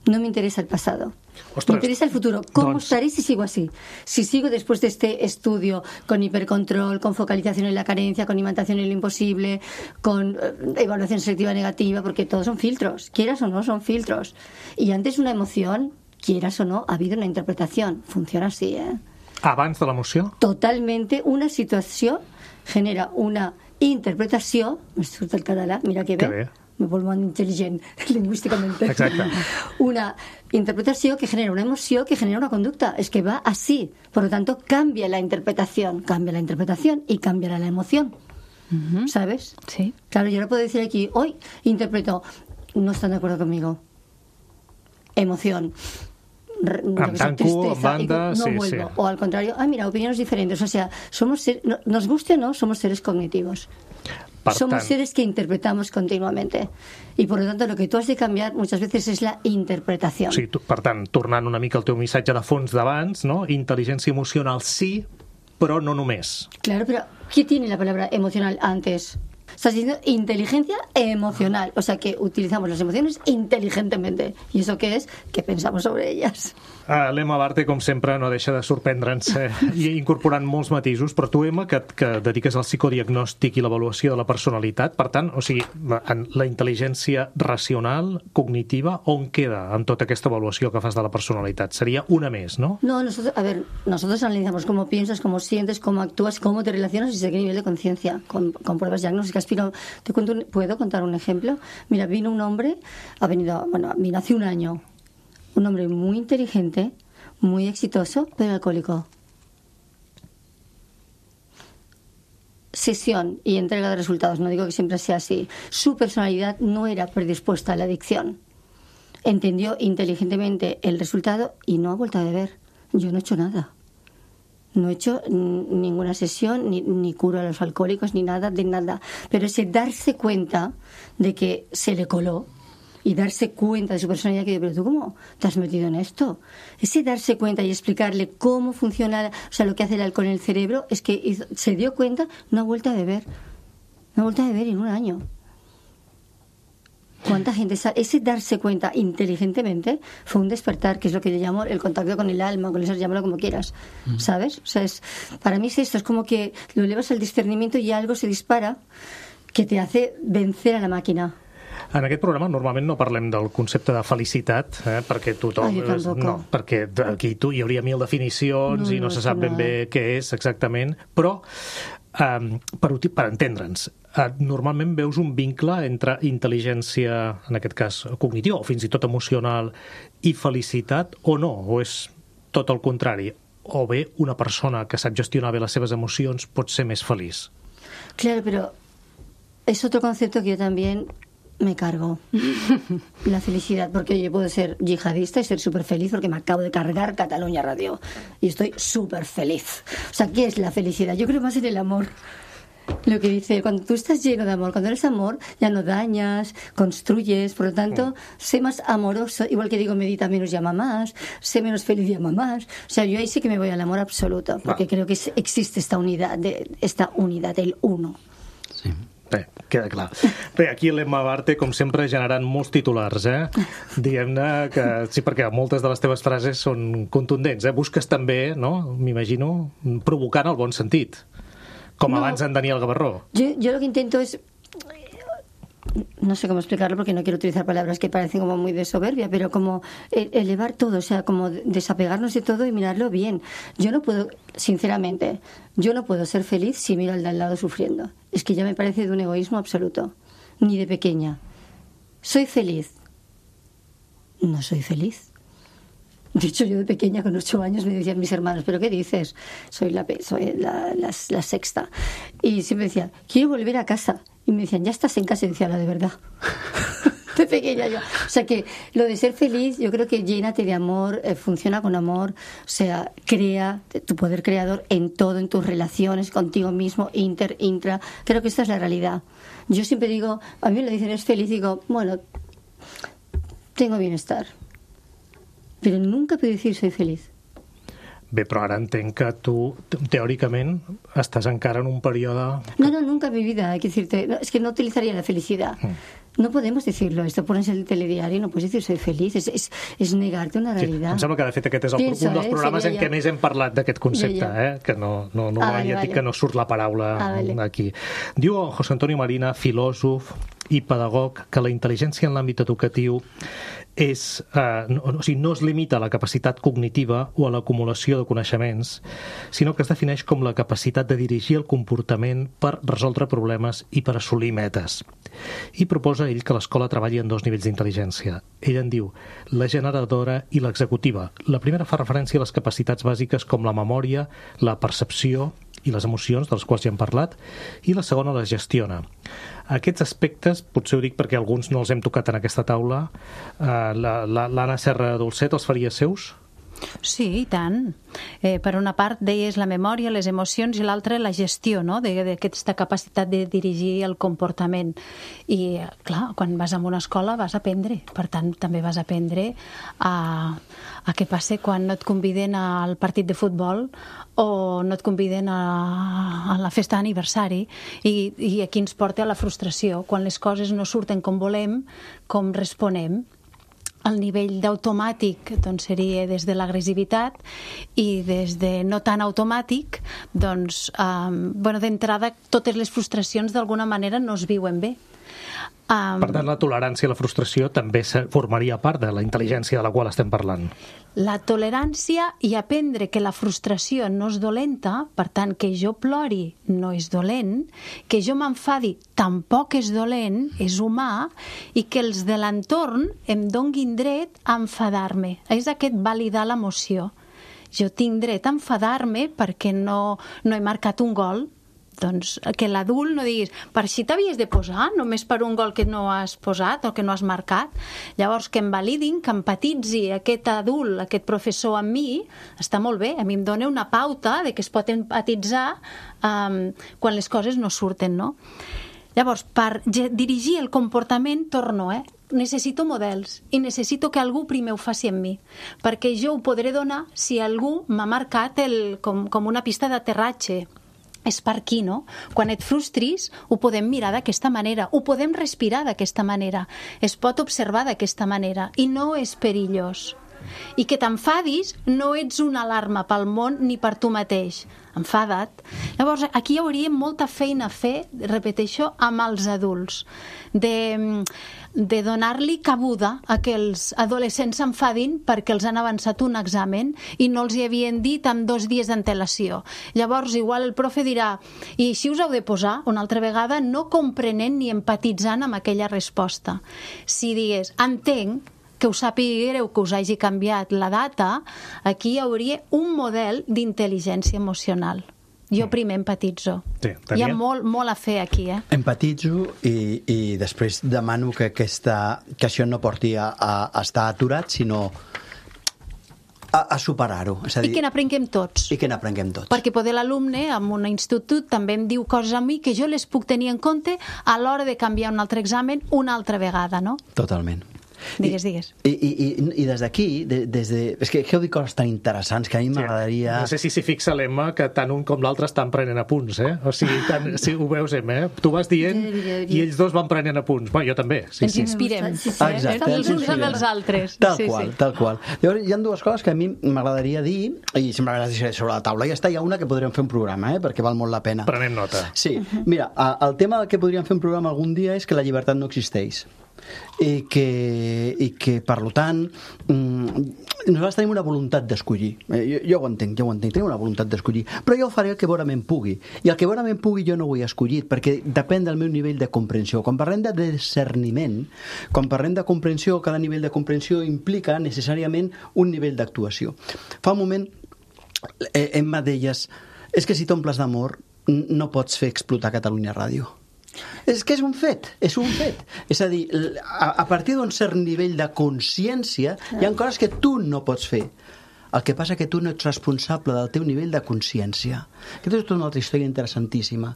No me interesa el pasado. Ostras, me interesa el futuro. ¿Cómo doncs... estaré si sigo así? Si sigo después de este estudio con hipercontrol, con focalización en la carencia, con imantación en lo imposible, con eh, evaluación selectiva negativa, porque todos son filtros. Quieras o no, son filtros. Y antes una emoción, quieras o no, ha habido una interpretación. Funciona así, ¿eh? Abans de l'emoció? Totalmente. Una situació genera una interpretació... Me surt el català, mira que bé. Que bé. Me vuelvo intel·ligent lingüísticamente. Exacte. Una interpretación que genera una emoción que genera una conducta. Es que va así. Por lo tanto, cambia la interpretación. Cambia la interpretación y cambia la emoción. Uh-huh. ¿Sabes? Sí. Claro, yo no puedo decir aquí, hoy interpreto, no están de acuerdo conmigo. Emoción. Amb tanco, amb banda, no sí, vuelvo. sí. O al contrario, ah, mira, opiniones diferentes. O sea, somos ser, no, nos guste o no, somos seres cognitivos. Per Somos tant... seres que interpretamos continuamente. Y por lo tanto, lo que tú has de cambiar muchas veces es la interpretación. Sí, tu, per tant, tornant una mica al teu missatge de fons d'abans, no? Intel·ligència emocional sí, però no només. Claro, pero ¿qué tiene la palabra emocional antes? Estás diciendo inteligencia emocional, o sea que utilizamos las emociones inteligentemente. ¿Y eso qué es? Que pensamos sobre ellas. Uh, L'Emma Barte, com sempre, no deixa de sorprendre'ns eh, i incorporant molts matisos, però tu, Emma, que, que dediques al psicodiagnòstic i l'avaluació de la personalitat, per tant, o sigui, la, la intel·ligència racional, cognitiva, on queda en tota aquesta avaluació que fas de la personalitat? Seria una més, no? No, nosotros, a ver, nosotros analizamos cómo piensas, cómo sientes, cómo actúas, cómo te relacionas y sé qué nivel de conciencia, con, con pruebas diagnósticas. Pero te cuento un, ¿puedo contar un ejemplo? Mira, vino un hombre, ha venido, bueno, vino hace un año, un hombre muy inteligente, muy exitoso, pero alcohólico. Sesión y entrega de resultados, no digo que siempre sea así. Su personalidad no era predispuesta a la adicción. Entendió inteligentemente el resultado y no ha vuelto a beber. Yo no he hecho nada. No he hecho ninguna sesión, ni, ni curo a los alcohólicos, ni nada, de nada. Pero ese darse cuenta de que se le coló y darse cuenta de su personalidad, que yo, pero tú ¿cómo te has metido en esto? Ese darse cuenta y explicarle cómo funciona, o sea, lo que hace el alcohol en el cerebro, es que hizo, se dio cuenta, no ha vuelto a beber. No ha vuelto a beber en un año. ¿Cuánta gente sabe? Ese darse cuenta inteligentemente fue un despertar, que es lo que yo llamo el contacto con el alma, con eso, llámalo como quieras, mm. ¿sabes? O sea, es, para mí es esto, es como que lo elevas al discernimiento y algo se dispara que te hace vencer a la máquina. En aquest programa normalment no parlem del concepte de felicitat, eh, perquè tothom... Ah, jo tampoc. No, perquè aquí tu, hi hauria mil definicions no, i no, no se sap ben bé què és exactament, però um, per, per entendre'ns, uh, normalment veus un vincle entre intel·ligència, en aquest cas cognitiva, o fins i tot emocional, i felicitat, o no? O és tot el contrari? O bé una persona que sap gestionar bé les seves emocions pot ser més feliç? Claro, pero es otro concepto que yo también me cargo. La felicidad, porque yo puedo ser yihadista y ser súper feliz porque me acabo de cargar Cataluña Radio y estoy súper feliz. O sea, ¿qué es la felicidad? Yo creo más en el amor. Lo que dice, cuando tú estás lleno de amor, cuando eres amor, ya no dañas, construyes, por lo tanto, sé más amoroso, igual que digo, medita menos y ama más, sé menos feliz y ama más. O sea, yo ahí sí que me voy al amor absoluto, porque creo que existe esta unidad, de, esta unidad, el uno. Sí. Bé, queda clar. Bé, aquí l'Emma Barte, com sempre, generant molts titulars, eh? Diguem-ne que sí, perquè moltes de les teves frases són contundents, eh? Busques també, no?, m'imagino, provocant el bon sentit, com no, abans en Daniel Gavarró. Yo, yo lo que intento es... No sé cómo explicarlo porque no quiero utilizar palabras que parecen como muy de soberbia, pero como elevar todo, o sea, como desapegarnos de todo y mirarlo bien. Yo no puedo, sinceramente, yo no puedo ser feliz si miro al de al lado sufriendo. Es que ya me parece de un egoísmo absoluto. Ni de pequeña. ¿Soy feliz? No soy feliz. De hecho, yo de pequeña, con ocho años, me decían mis hermanos, ¿pero qué dices? Soy la, soy la, la, la sexta. Y siempre decía, quiero volver a casa. Y me decían, ya estás en casa. Y decía, la de verdad. De pequeña yo. O sea que lo de ser feliz, yo creo que llénate de amor, eh, funciona con amor, o sea, crea tu poder creador en todo, en tus relaciones contigo mismo, inter, intra. Creo que esta es la realidad. Yo siempre digo, a mí me lo dicen, es feliz, digo, bueno, tengo bienestar. Pero nunca puedo decir soy feliz. Bé, però ara entenc que tu, teòricament, estàs encara en un període... No, no, nunca en mi vida, hay que decirte, no, es que no utilizaría la felicidad. Mm. No podemos decirlo, esto pones el telediario, no puedes decir soy feliz, es, es, es negarte una realidad. Sí, em sembla que de fet aquest és el, Pienso, un dels programes eh, en què més hem parlat d'aquest concepte, ja, ja. Eh? Que no, no, no ah, vale, ja vale. Que no surt la paraula ah, vale. Aquí. Diu José Antonio Marina, filòsof i pedagog, que la intel·ligència en l'àmbit educatiu és, eh, no, o sigui, no es limita a la capacitat cognitiva o a l'acumulació de coneixements, sinó que es defineix com la capacitat de dirigir el comportament per resoldre problemes i per assolir metes. I proposa ell que l'escola treballi en dos nivells d'intel·ligència. Ell en diu la generadora i l'executiva. La primera fa referència a les capacitats bàsiques com la memòria, la percepció i les emocions, dels quals ja hem parlat, i la segona les gestiona. Aquests aspectes, potser ho dic perquè alguns no els hem tocat en aquesta taula, eh, l'Anna Serra Dolcet els faria seus? Sí, i tant. Eh, per una part, deies la memòria, les emocions, i l'altra la gestió, no?, d'aquesta capacitat de dirigir el comportament. I, clar, quan vas a una escola vas a aprendre. Per tant, també vas a aprendre a, a què passa quan no et conviden al partit de futbol o no et conviden a, a la festa d'aniversari, i, i aquí ens porta a la frustració. Quan les coses no surten com volem, com responem. El nivell d'automàtic doncs, seria des de l'agressivitat, i des de no tan automàtic, doncs, eh, bueno, d'entrada, totes les frustracions d'alguna manera no es viuen bé. Um, per tant, la tolerància i la frustració també formaria part de la intel·ligència de la qual estem parlant. La tolerància i aprendre que la frustració no és dolenta, per tant, que jo plori no és dolent, que jo m'enfadi tampoc és dolent, és humà, i que els de l'entorn em donguin dret a enfadar-me. És aquest validar l'emoció. Jo tinc dret a enfadar-me perquè no, no he marcat un gol. Doncs que l'adult no diguis, per si t'havies de posar, només per un gol que no has posat o que no has marcat. Llavors, que em validin, que empatitzi aquest adult, aquest professor amb mi, està molt bé. A mi em dona una pauta de que es pot empatitzar um, quan les coses no surten, no? Llavors, per dirigir el comportament, torno, eh? Necessito models i necessito que algú primer ho faci amb mi, perquè jo ho podré donar si algú m'ha marcat el, com, com una pista d'aterratge. És per aquí, no? Quan et frustris, ho podem mirar d'aquesta manera, ho podem respirar d'aquesta manera, es pot observar d'aquesta manera, i no és perillós. I que t'enfadis no ets una alarma pel món ni per tu mateix. Enfada't. Llavors, aquí hi hauria molta feina a fer, repeteixo, amb els adults, de, de donar-li cabuda a que els adolescents s'enfadin perquè els han avançat un examen i no els hi havien dit amb dos dies d'antelació. Llavors, igual el profe dirà, i així us heu de posar una altra vegada, no comprenent ni empatitzant amb aquella resposta. Si digués, entenc que us sapigueu que us hagi canviat la data, aquí hi hauria un model d'intel·ligència emocional. Jo primer empatitzo. Sí, hi ha molt, molt a fer aquí, eh? Empatitzo i, i després demano que, aquesta, que això no porti a, a estar aturat, sinó a, a superar-ho. És a dir, I que n'aprenguem tots. I que n'aprenguem tots. Perquè poder l'alumne en un institut també em diu coses a mi que jo les puc tenir en compte a l'hora de canviar un altre examen una altra vegada, no? Totalment. Digues, digues. I, i, i, i des d'aquí, de, des de... és que heu dit coses tan interessants que a mi m'agradaria... No sé si s'hi fixa l'Emma, que tant un com l'altre estan prenent apunts, eh? O sigui, tant, si ho veus, Emma, eh? Tu vas dient i ells dos van prenent apunts. Bueno, jo també. Sí, ens sí. inspirem. Sí, sí. Exacte, Els uns amb els altres. Tal sí, qual, sí. tal qual. Llavors, hi ha dues coses que a mi m'agradaria dir, i sempre les deixaré sobre la taula. Ja està, hi ha una que podríem fer un programa, eh? Perquè val molt la pena. Prenem nota. Sí, mira, el tema que podríem fer un programa algun dia és que la llibertat no existeix. I que, i que per tant nosaltres tenim una voluntat d'escollir. jo, jo ho entenc, jo ho entenc, tenim una voluntat d'escollir, però jo faré el que vorament pugui, i el que vorament pugui jo no ho he escollit, perquè depèn del meu nivell de comprensió. Quan parlem de discerniment, quan parlem de comprensió, cada nivell de comprensió implica necessàriament un nivell d'actuació. Fa un moment Emma deies, és que si t'omples d'amor no pots fer explotar Catalunya Ràdio. És que és un fet, és un fet. És a dir, a, a partir d'un cert nivell de consciència hi ha coses que tu no pots fer. El que passa que tu no ets responsable del teu nivell de consciència. Aquesta és tota una altra història interessantíssima.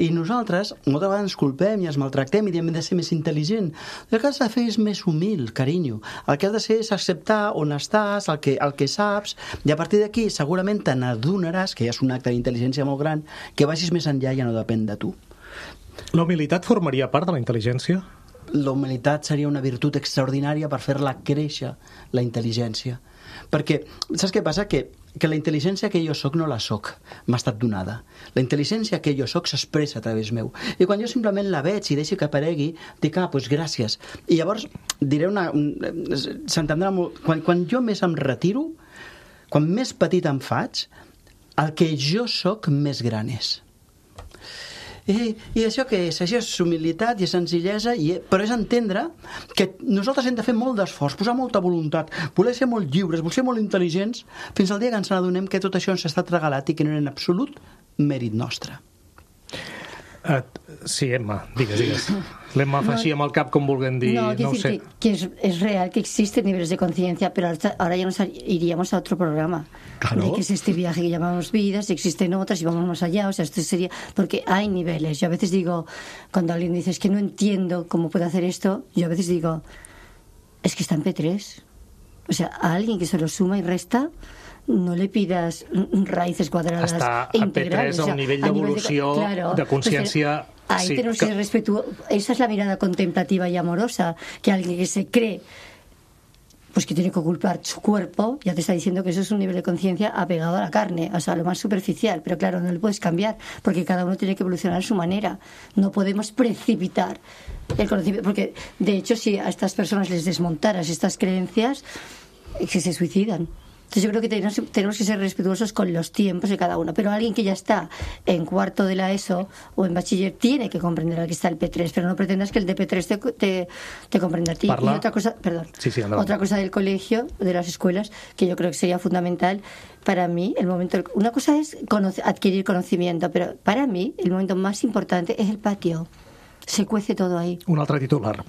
I nosaltres, moltes vegades ens culpem i ens maltractem i diem de ser més intel·ligent. El que has de fer és més humil, carinyo. El que has de fer és acceptar on estàs, el que, el que saps, i a partir d'aquí segurament te n'adonaràs, que ja és un acte d'intel·ligència molt gran, que vagis més enllà i ja no depèn de tu. La humilitat formaria part de la intel·ligència? La humilitat seria una virtut extraordinària per fer-la créixer, la intel·ligència. Perquè, saps què passa? Que, que la intel·ligència que jo soc no la soc, m'ha estat donada. La intel·ligència que jo soc s'expressa a través meu. I quan jo simplement la veig i deixo que aparegui, dic, ah, doncs gràcies. I llavors diré una... s'entendrà molt... Quan, quan jo més em retiro, quan més petit em faig, el que jo soc més gran és. I, i això què és? Això és humilitat i és senzillesa, i, però és entendre que nosaltres hem de fer molt d'esforç, posar molta voluntat, voler ser molt lliures, voler ser molt intel·ligents, fins al dia que ens n'adonem que tot això ens ha estat regalat i que no era en absolut mèrit nostre. Uh, sí, Emma, digues, digues. L'Emma fa així amb el cap com vulguem dir, no, no ho sé. Que, que es, es real que existen niveles de conciencia, pero ahora, ahora ya nos iríamos a otro programa. Claro. De que es este viaje que llamamos vidas, existen otras y vamos más allá. O sea, esto sería... Porque hay niveles. Yo a veces digo, cuando alguien dice, es que no entiendo cómo puede hacer esto, yo a veces digo, es que está en P tres. O sea, a alguien que se lo suma y resta, no le pidas raíces cuadradas Està e a P integrales. tres a un nivell d'evolució, de, claro, de consciència... Pues, ahí sí, tenemos que... que ser respetuosos. Esa es la mirada contemplativa y amorosa, que alguien que se cree pues que tiene que ocultar su cuerpo, ya te está diciendo que eso es un nivel de conciencia apegado a la carne, o sea, lo más superficial, pero claro, no lo puedes cambiar, porque cada uno tiene que evolucionar a su manera. No podemos precipitar el conocimiento, porque de hecho si a estas personas les desmontaras estas creencias, es que se suicidan. Entonces yo creo que tenemos, tenemos que ser respetuosos con los tiempos de cada uno, pero alguien que ya está en cuarto de la ESO o en bachiller tiene que comprender al que está el P tres, pero no pretendas que el de P tres te, te, te comprenda a ti. Parla... Y otra cosa, perdón, sí, sí, otra cosa del colegio, de las escuelas, que yo creo que sería fundamental para mí, el momento, una cosa es conoce, adquirir conocimiento, pero para mí el momento más importante es el patio. Se cuece todo ahí. Un altre titular.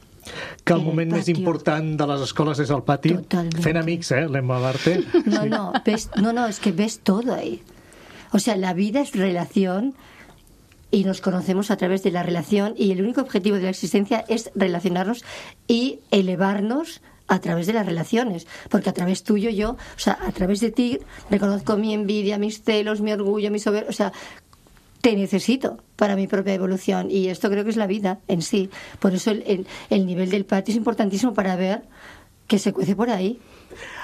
Que el moment més important de les escoles és el pati. Totalmente. Fent amics, eh, l'Emma Barte. No, no, ves, no, no, es que ves todo ahí. O sea, la vida es relación y nos conocemos a través de la relación y el único objetivo de la existencia es relacionarnos y elevarnos a través de las relaciones, porque a través tuyo yo, o sea, a través de ti reconozco mi envidia, mis celos, mi orgullo, mi soberbia, o sea, te necesito para mi propia evolución y esto creo que es la vida en sí. Por eso el, el, el nivel del patio es importantísimo para ver que se cuece por ahí.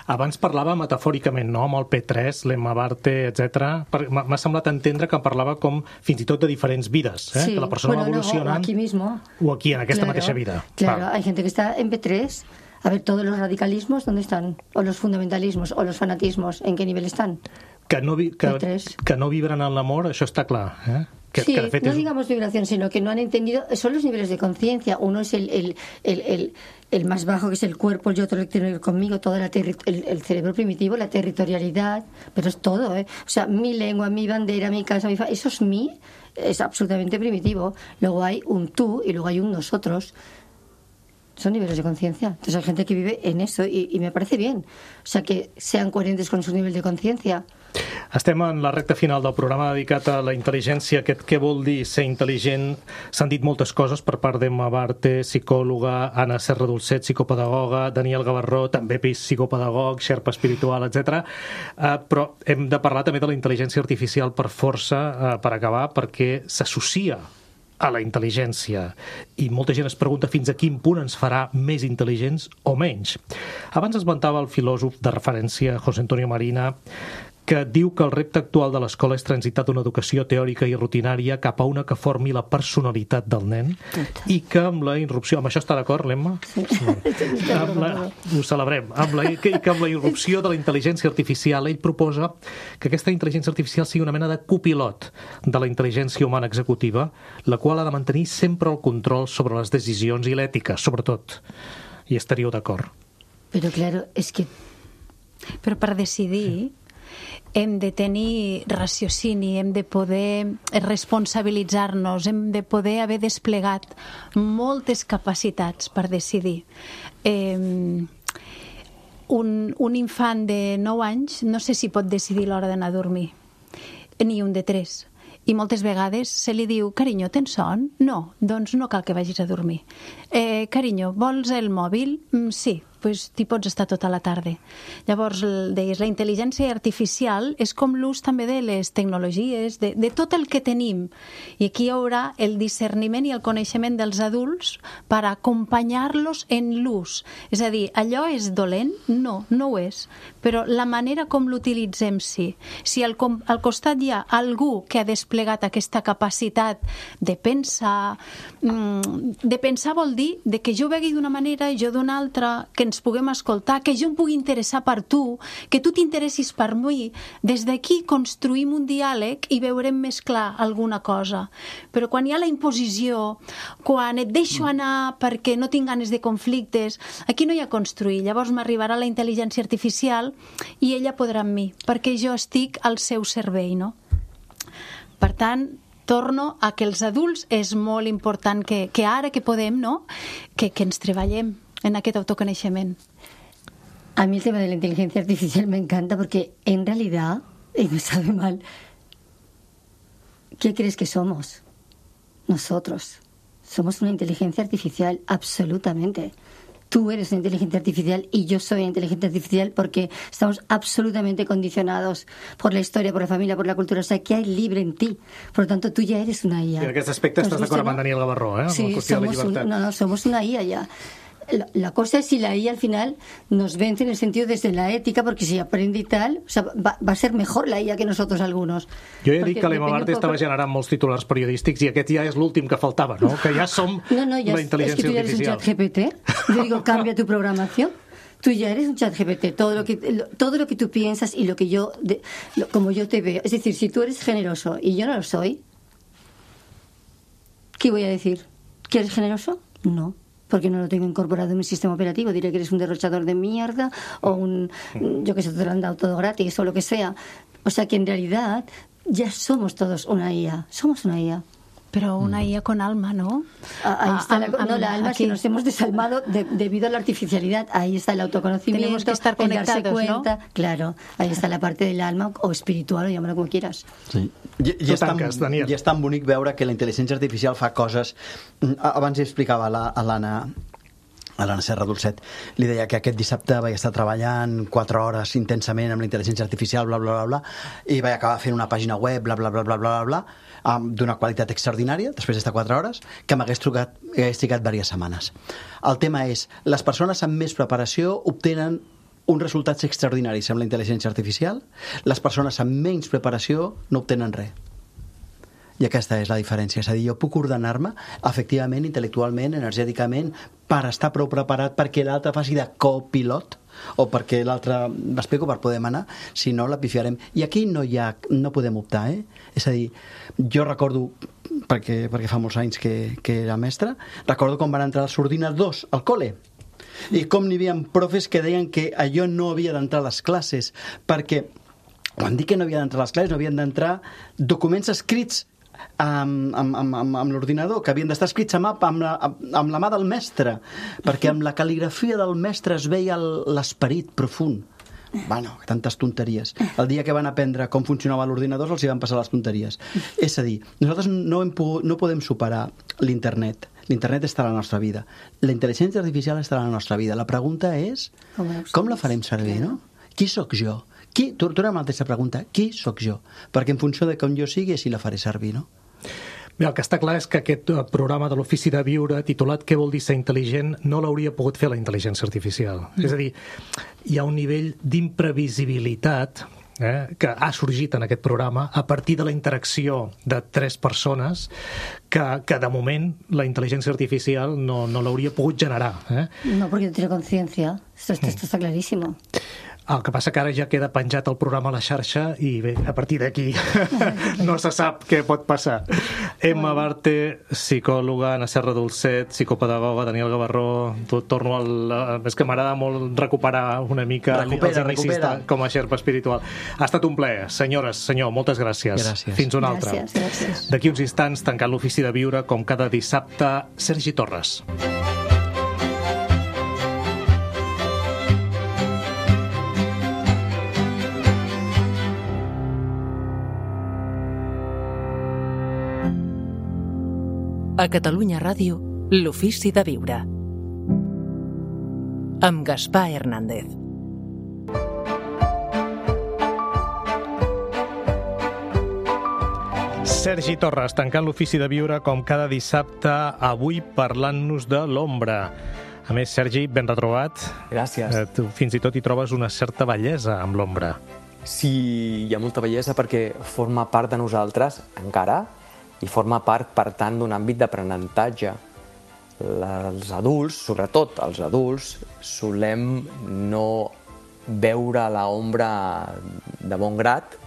Abans parlava metafòricament, no?, amb el P tres, l'Emma Barte, etcètera. M'ha semblat entendre que parlava com fins i tot de diferents vides, eh? Sí. Que la persona Bueno, va evolucionant... No, o aquí mismo. O aquí, en aquesta claro, mateixa vida. Claro, Va. hay gente que está en P tres. A ver, todos los radicalismos, ¿dónde están? O los fundamentalismos, o los fanatismos, ¿en qué nivel están? Que no, vi, que, P tres. que no vibren en l'amor, això està clar, eh? Que, sí, que de fet no és... digamos vibración, sino que no han entendido, son los niveles de conciencia. Uno es el, el, el, el, el más bajo, que es el cuerpo, y otro el que tiene que ver conmigo, todo la terri el, el cerebro primitivo, la territorialidad, pero es todo, ¿eh? O sea, mi lengua, mi bandera, mi casa, mi fa... eso es mí, es absolutamente primitivo. Luego hay un tú y luego hay un nosotros. Son niveles de conciencia. Entonces hay gente que vive en eso y, y me parece bien. O sea, que sean coherentes con su nivel de conciencia. Estem en la recta final del programa dedicat a la intel·ligència. Aquest què vol dir ser intel·ligent? S'han dit moltes coses per part d'Emma Barte, psicòloga, Anna Serradolcet, psicopedagoga, Daniel Gavarró, també psicopedagog, xerpa espiritual, etcètera. Uh, però hem de parlar també de la intel·ligència artificial per força, uh, per acabar, perquè s'associa a la intel·ligència i molta gent es pregunta fins a quin punt ens farà més intel·ligents o menys. Abans esmentava el filòsof de referència José Antonio Marina, que diu que el repte actual de l'escola és transitar d'una educació teòrica i rutinària cap a una que formi la personalitat del nen i que amb la irrupció... Amb això està d'acord, l'Emma? Sí. Amb la, ho celebrem. Amb la, que, que amb la irrupció de la intel·ligència artificial, ell proposa que aquesta intel·ligència artificial sigui una mena de copilot de la intel·ligència humana executiva, la qual ha de mantenir sempre el control sobre les decisions i l'ètica, sobretot. I estaríeu d'acord. Però, claro, és que... Però per decidir... hem de tenir raciocini, hem de poder responsabilitzar-nos, hem de poder haver desplegat moltes capacitats per decidir. Eh, un, un infant de nou anys no sé si pot decidir l'hora d'anar a dormir, ni un de tres. I moltes vegades se li diu, carinyo, tens son? No, doncs no cal que vagis a dormir. Eh, carinyo, vols el mòbil? Mm, sí, pues t'hi pots estar tota la tarda. Llavors, deies, la intel·ligència artificial és com l'ús també de les tecnologies, de, de tot el que tenim. I aquí hi haurà el discerniment i el coneixement dels adults per acompanyar-los en l'ús. És a dir, allò és dolent? No, no ho és. Però la manera com l'utilitzem, sí. Si al, al costat hi ha algú que ha desplegat aquesta capacitat de pensar, de pensar vol dir de que jo vegui d'una manera i jo d'una altra, que ens puguem escoltar, que jo em pugui interessar per tu, que tu t'interessis per mi. Des d'aquí construïm un diàleg i veurem més clar alguna cosa. Però quan hi ha la imposició, quan et deixo anar perquè no tinc ganes de conflictes, aquí no hi ha construir. Llavors m'arribarà la intel·ligència artificial i ella podrà amb mi, perquè jo estic al seu servei, no? Per tant, torno a que els adults és molt important que, que ara que podem, no? que, que ens treballem en aquest autoconeixement. A mí el tema de la inteligencia artificial me encanta porque en realidad, y me sabe mal, ¿qué crees que somos? Nosotros. Somos una inteligencia artificial, absolutamente. Tú eres una inteligencia artificial y yo soy una inteligencia artificial porque estamos absolutamente condicionados por la historia, por la familia, por la cultura. O sea, que hay libre en ti. Por lo tanto, tú ya eres una I A. I en aquest aspecte estàs d'acord amb Daniel Gavarró, eh? Sí, somos un, no, no, somos una I A ya. La, la cosa es si la I A al final nos vence en el sentido desde la ética, porque si aprende y tal, o sea, va, va a ser mejor la I A que nosotros algunos. Jo he dit que l'Emma Barte estava generant molts titulars periodístics i aquest ja és l'últim que faltava, ¿no? Que ja som no, no, ya la inteligencia es que tú ya eres artificial. Un chat G P T. Yo digo, cambia tu programación. Tú ya eres un chat G P T. Todo lo que, lo, todo lo que tú piensas y lo que yo, de, lo, como yo te veo. Es decir, si tú eres generoso y yo no lo soy, ¿qué voy a decir? ¿Que eres generoso? No. Porque no lo tengo incorporado en mi sistema operativo. Diré que eres un derrochador de mierda o un, yo que sé, te lo han dado todo gratis o lo que sea. O sea que en realidad ya somos todos una I A. Somos una I A. Pero una I A con alma, ¿no? Ahí está la, no, la alma aquí. Que nos hemos desalmado de, debido a la artificialidad. Ahí está el autoconocimiento. Tenemos que estar conectados, el darse cuenta, ¿no? Claro, ahí está la parte del alma o espiritual, o llámalo como quieras. Sí. I, i, és tan, Daniel. I és tan bonic veure que la intel·ligència artificial fa coses... Abans hi explicava a l'Anna a l'Anna Serra Dolcet, li deia que aquest dissabte vaig estar treballant quatre hores intensament amb la intel·ligència artificial, bla, bla, bla, bla, i vaig acabar fent una pàgina web, bla, bla, bla, bla, bla, bla, bla d'una qualitat extraordinària, després d'estar quatre hores, que m'hagués trigat, hagués trigat diverses setmanes. El tema és, les persones amb més preparació obtenen uns resultats extraordinaris amb la intel·ligència artificial, les persones amb menys preparació no obtenen res. I aquesta és la diferència. És a dir, jo puc ordenar-me efectivament, intel·lectualment, energèticament, per estar prou preparat perquè l'altre faci de copilot o perquè l'altre m'explico per poder manar, si no la pifiarem. I aquí no hi ha, no podem optar, eh? És a dir, jo recordo, perquè, perquè fa molts anys que, que era mestre, recordo com van entrar els ordinadors al col·le i com n'hi havia profes que deien que allò no havia d'entrar a les classes, perquè quan dic que no havia d'entrar a les classes no havien d'entrar documents escrits amb, amb, amb, amb l'ordinador, que havien d'estar escrits amb, amb, la, amb la mà del mestre, perquè amb la cal·ligrafia del mestre es veia l'esperit profund. Bueno, tantes tonteries. El dia que van aprendre com funcionava l'ordinador els hi van passar les tonteries. És a dir, nosaltres no, hem pogut, no podem superar l'internet. L'internet està a la nostra vida. La intel·ligència artificial està a la nostra vida. La pregunta és, com la farem servir, no? Qui sóc jo? Qui, torna a la mateixa pregunta, qui sóc jo? Perquè en funció de com jo sigui, així la faré servir, no? Bé, el que està clar és que aquest programa de l'Ofici de Viure, titulat Què vol dir ser intel·ligent, no l'hauria pogut fer la intel·ligència artificial. Mm. És a dir, hi ha un nivell d'imprevisibilitat eh, que ha sorgit en aquest programa a partir de la interacció de tres persones que, que de moment la intel·ligència artificial no, no l'hauria pogut generar. Eh? No, porque no tiene conciencia. Esto, esto, esto está clarísimo. El que passa que ara ja queda penjat el programa a la xarxa i bé, a partir d'aquí no se sap què pot passar. Emma Barte, psicòloga, Anna Serra Dolcet, psicopedagoga, Daniel Gavarró, torno al... És que m'agrada molt recuperar una mica recupera, els inicis de, com a xerpa espiritual. Ha estat un plaer. Senyores, senyor, moltes gràcies. Gràcies. Fins una altra. Gràcies, gràcies. D'aquí uns instants, tancant l'Ofici de Viure, com cada dissabte, Sergi Torres. A Catalunya Ràdio, l'Ofici de Viure. Amb Gaspar Hernández. Sergi Torres, tancant l'Ofici de Viure com cada dissabte, avui parlant-nos de l'ombra. A més, Sergi, ben retrobat. Gràcies. Eh, tu fins i tot hi trobes una certa bellesa amb l'ombra. Sí, hi ha molta bellesa perquè forma part de nosaltres, encara, i forma part, per tant, d'un àmbit d'aprenentatge. Els adults, sobretot els adults, solem no veure l'ombra de bon grat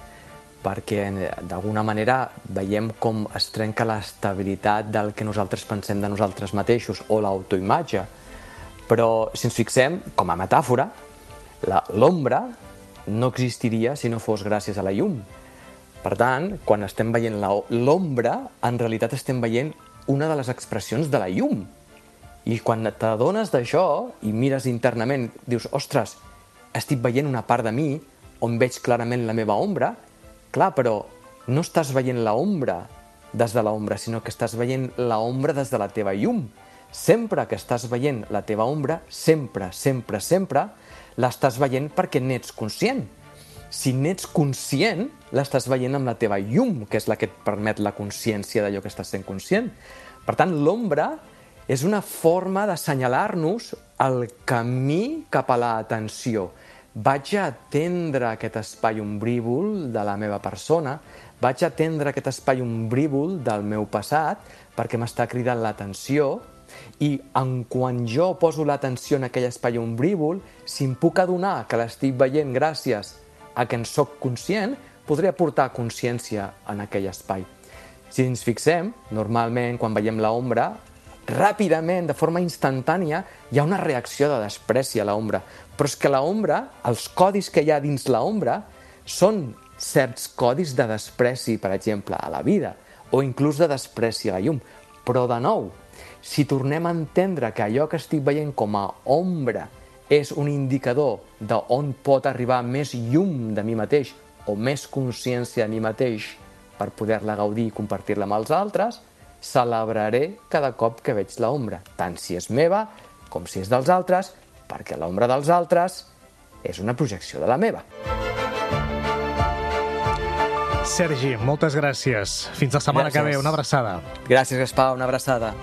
perquè, d'alguna manera, veiem com es trenca l'estabilitat del que nosaltres pensem de nosaltres mateixos o l'autoimatge. Però, si ens fixem, com a metàfora, l'ombra no existiria si no fos gràcies a la llum. Per tant, quan estem veient l'ombra, en realitat estem veient una de les expressions de la llum. I quan t'adones d'això i mires internament, dius, ostres, estic veient una part de mi on veig clarament la meva ombra. Clar, però no estàs veient l'ombra des de l'ombra, sinó que estàs veient l'ombra des de la teva llum. Sempre que estàs veient la teva ombra, sempre, sempre, sempre, l'estàs veient perquè n'ets conscient. Si n'ets conscient, l'estàs veient amb la teva llum, que és la que et permet la consciència d'allò que estàs sent conscient. Per tant, l'ombra és una forma d'assenyalar-nos el camí cap a l'atenció. Vaig a atendre aquest espai ombrívol de la meva persona, vaig a atendre aquest espai ombrívol del meu passat perquè m'està cridant l'atenció i en quan jo poso l'atenció en aquell espai ombrívol, si em puc adonar que l'estic veient gràcies a que en soc conscient, podré aportar consciència en aquell espai. Si ens fixem, normalment quan veiem l'ombra, ràpidament, de forma instantània, hi ha una reacció de despreci a l'ombra. Però és que l'ombra, els codis que hi ha dins l'ombra, són certs codis de despreci, per exemple, a la vida, o inclús de despreci a la llum. Però, de nou, si tornem a entendre que allò que estic veient com a ombra és un indicador d'on pot arribar més llum de mi mateix o més consciència de mi mateix per poder-la gaudir i compartir-la amb els altres, celebraré cada cop que veig l'ombra, tant si és meva com si és dels altres, perquè l'ombra dels altres és una projecció de la meva. Sergi, moltes gràcies. Fins la setmana gràcies. que ve. Una abraçada. Gràcies, Gaspar. Una abraçada.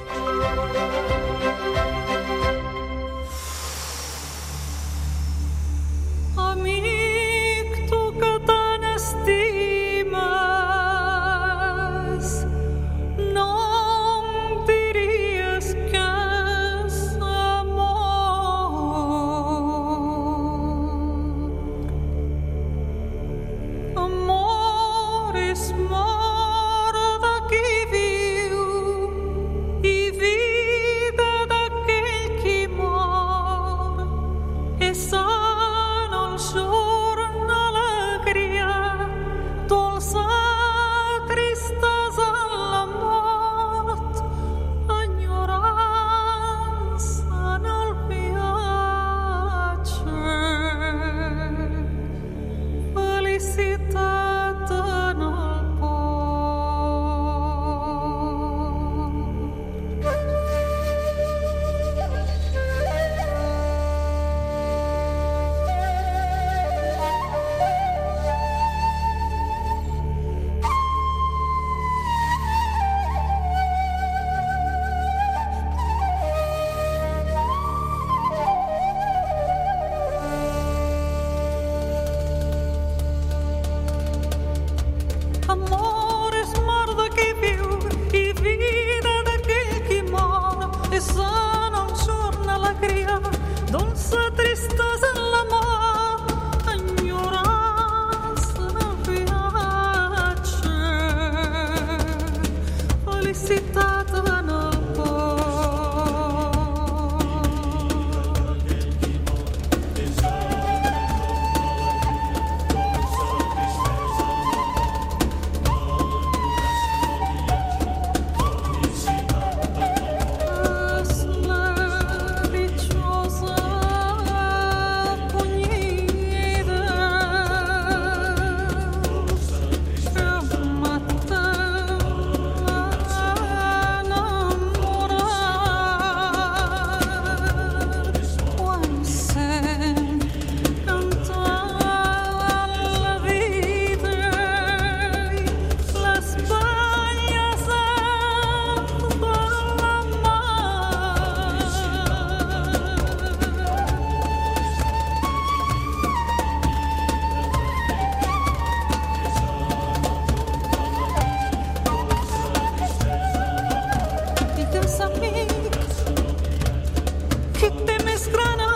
Que te me esgrana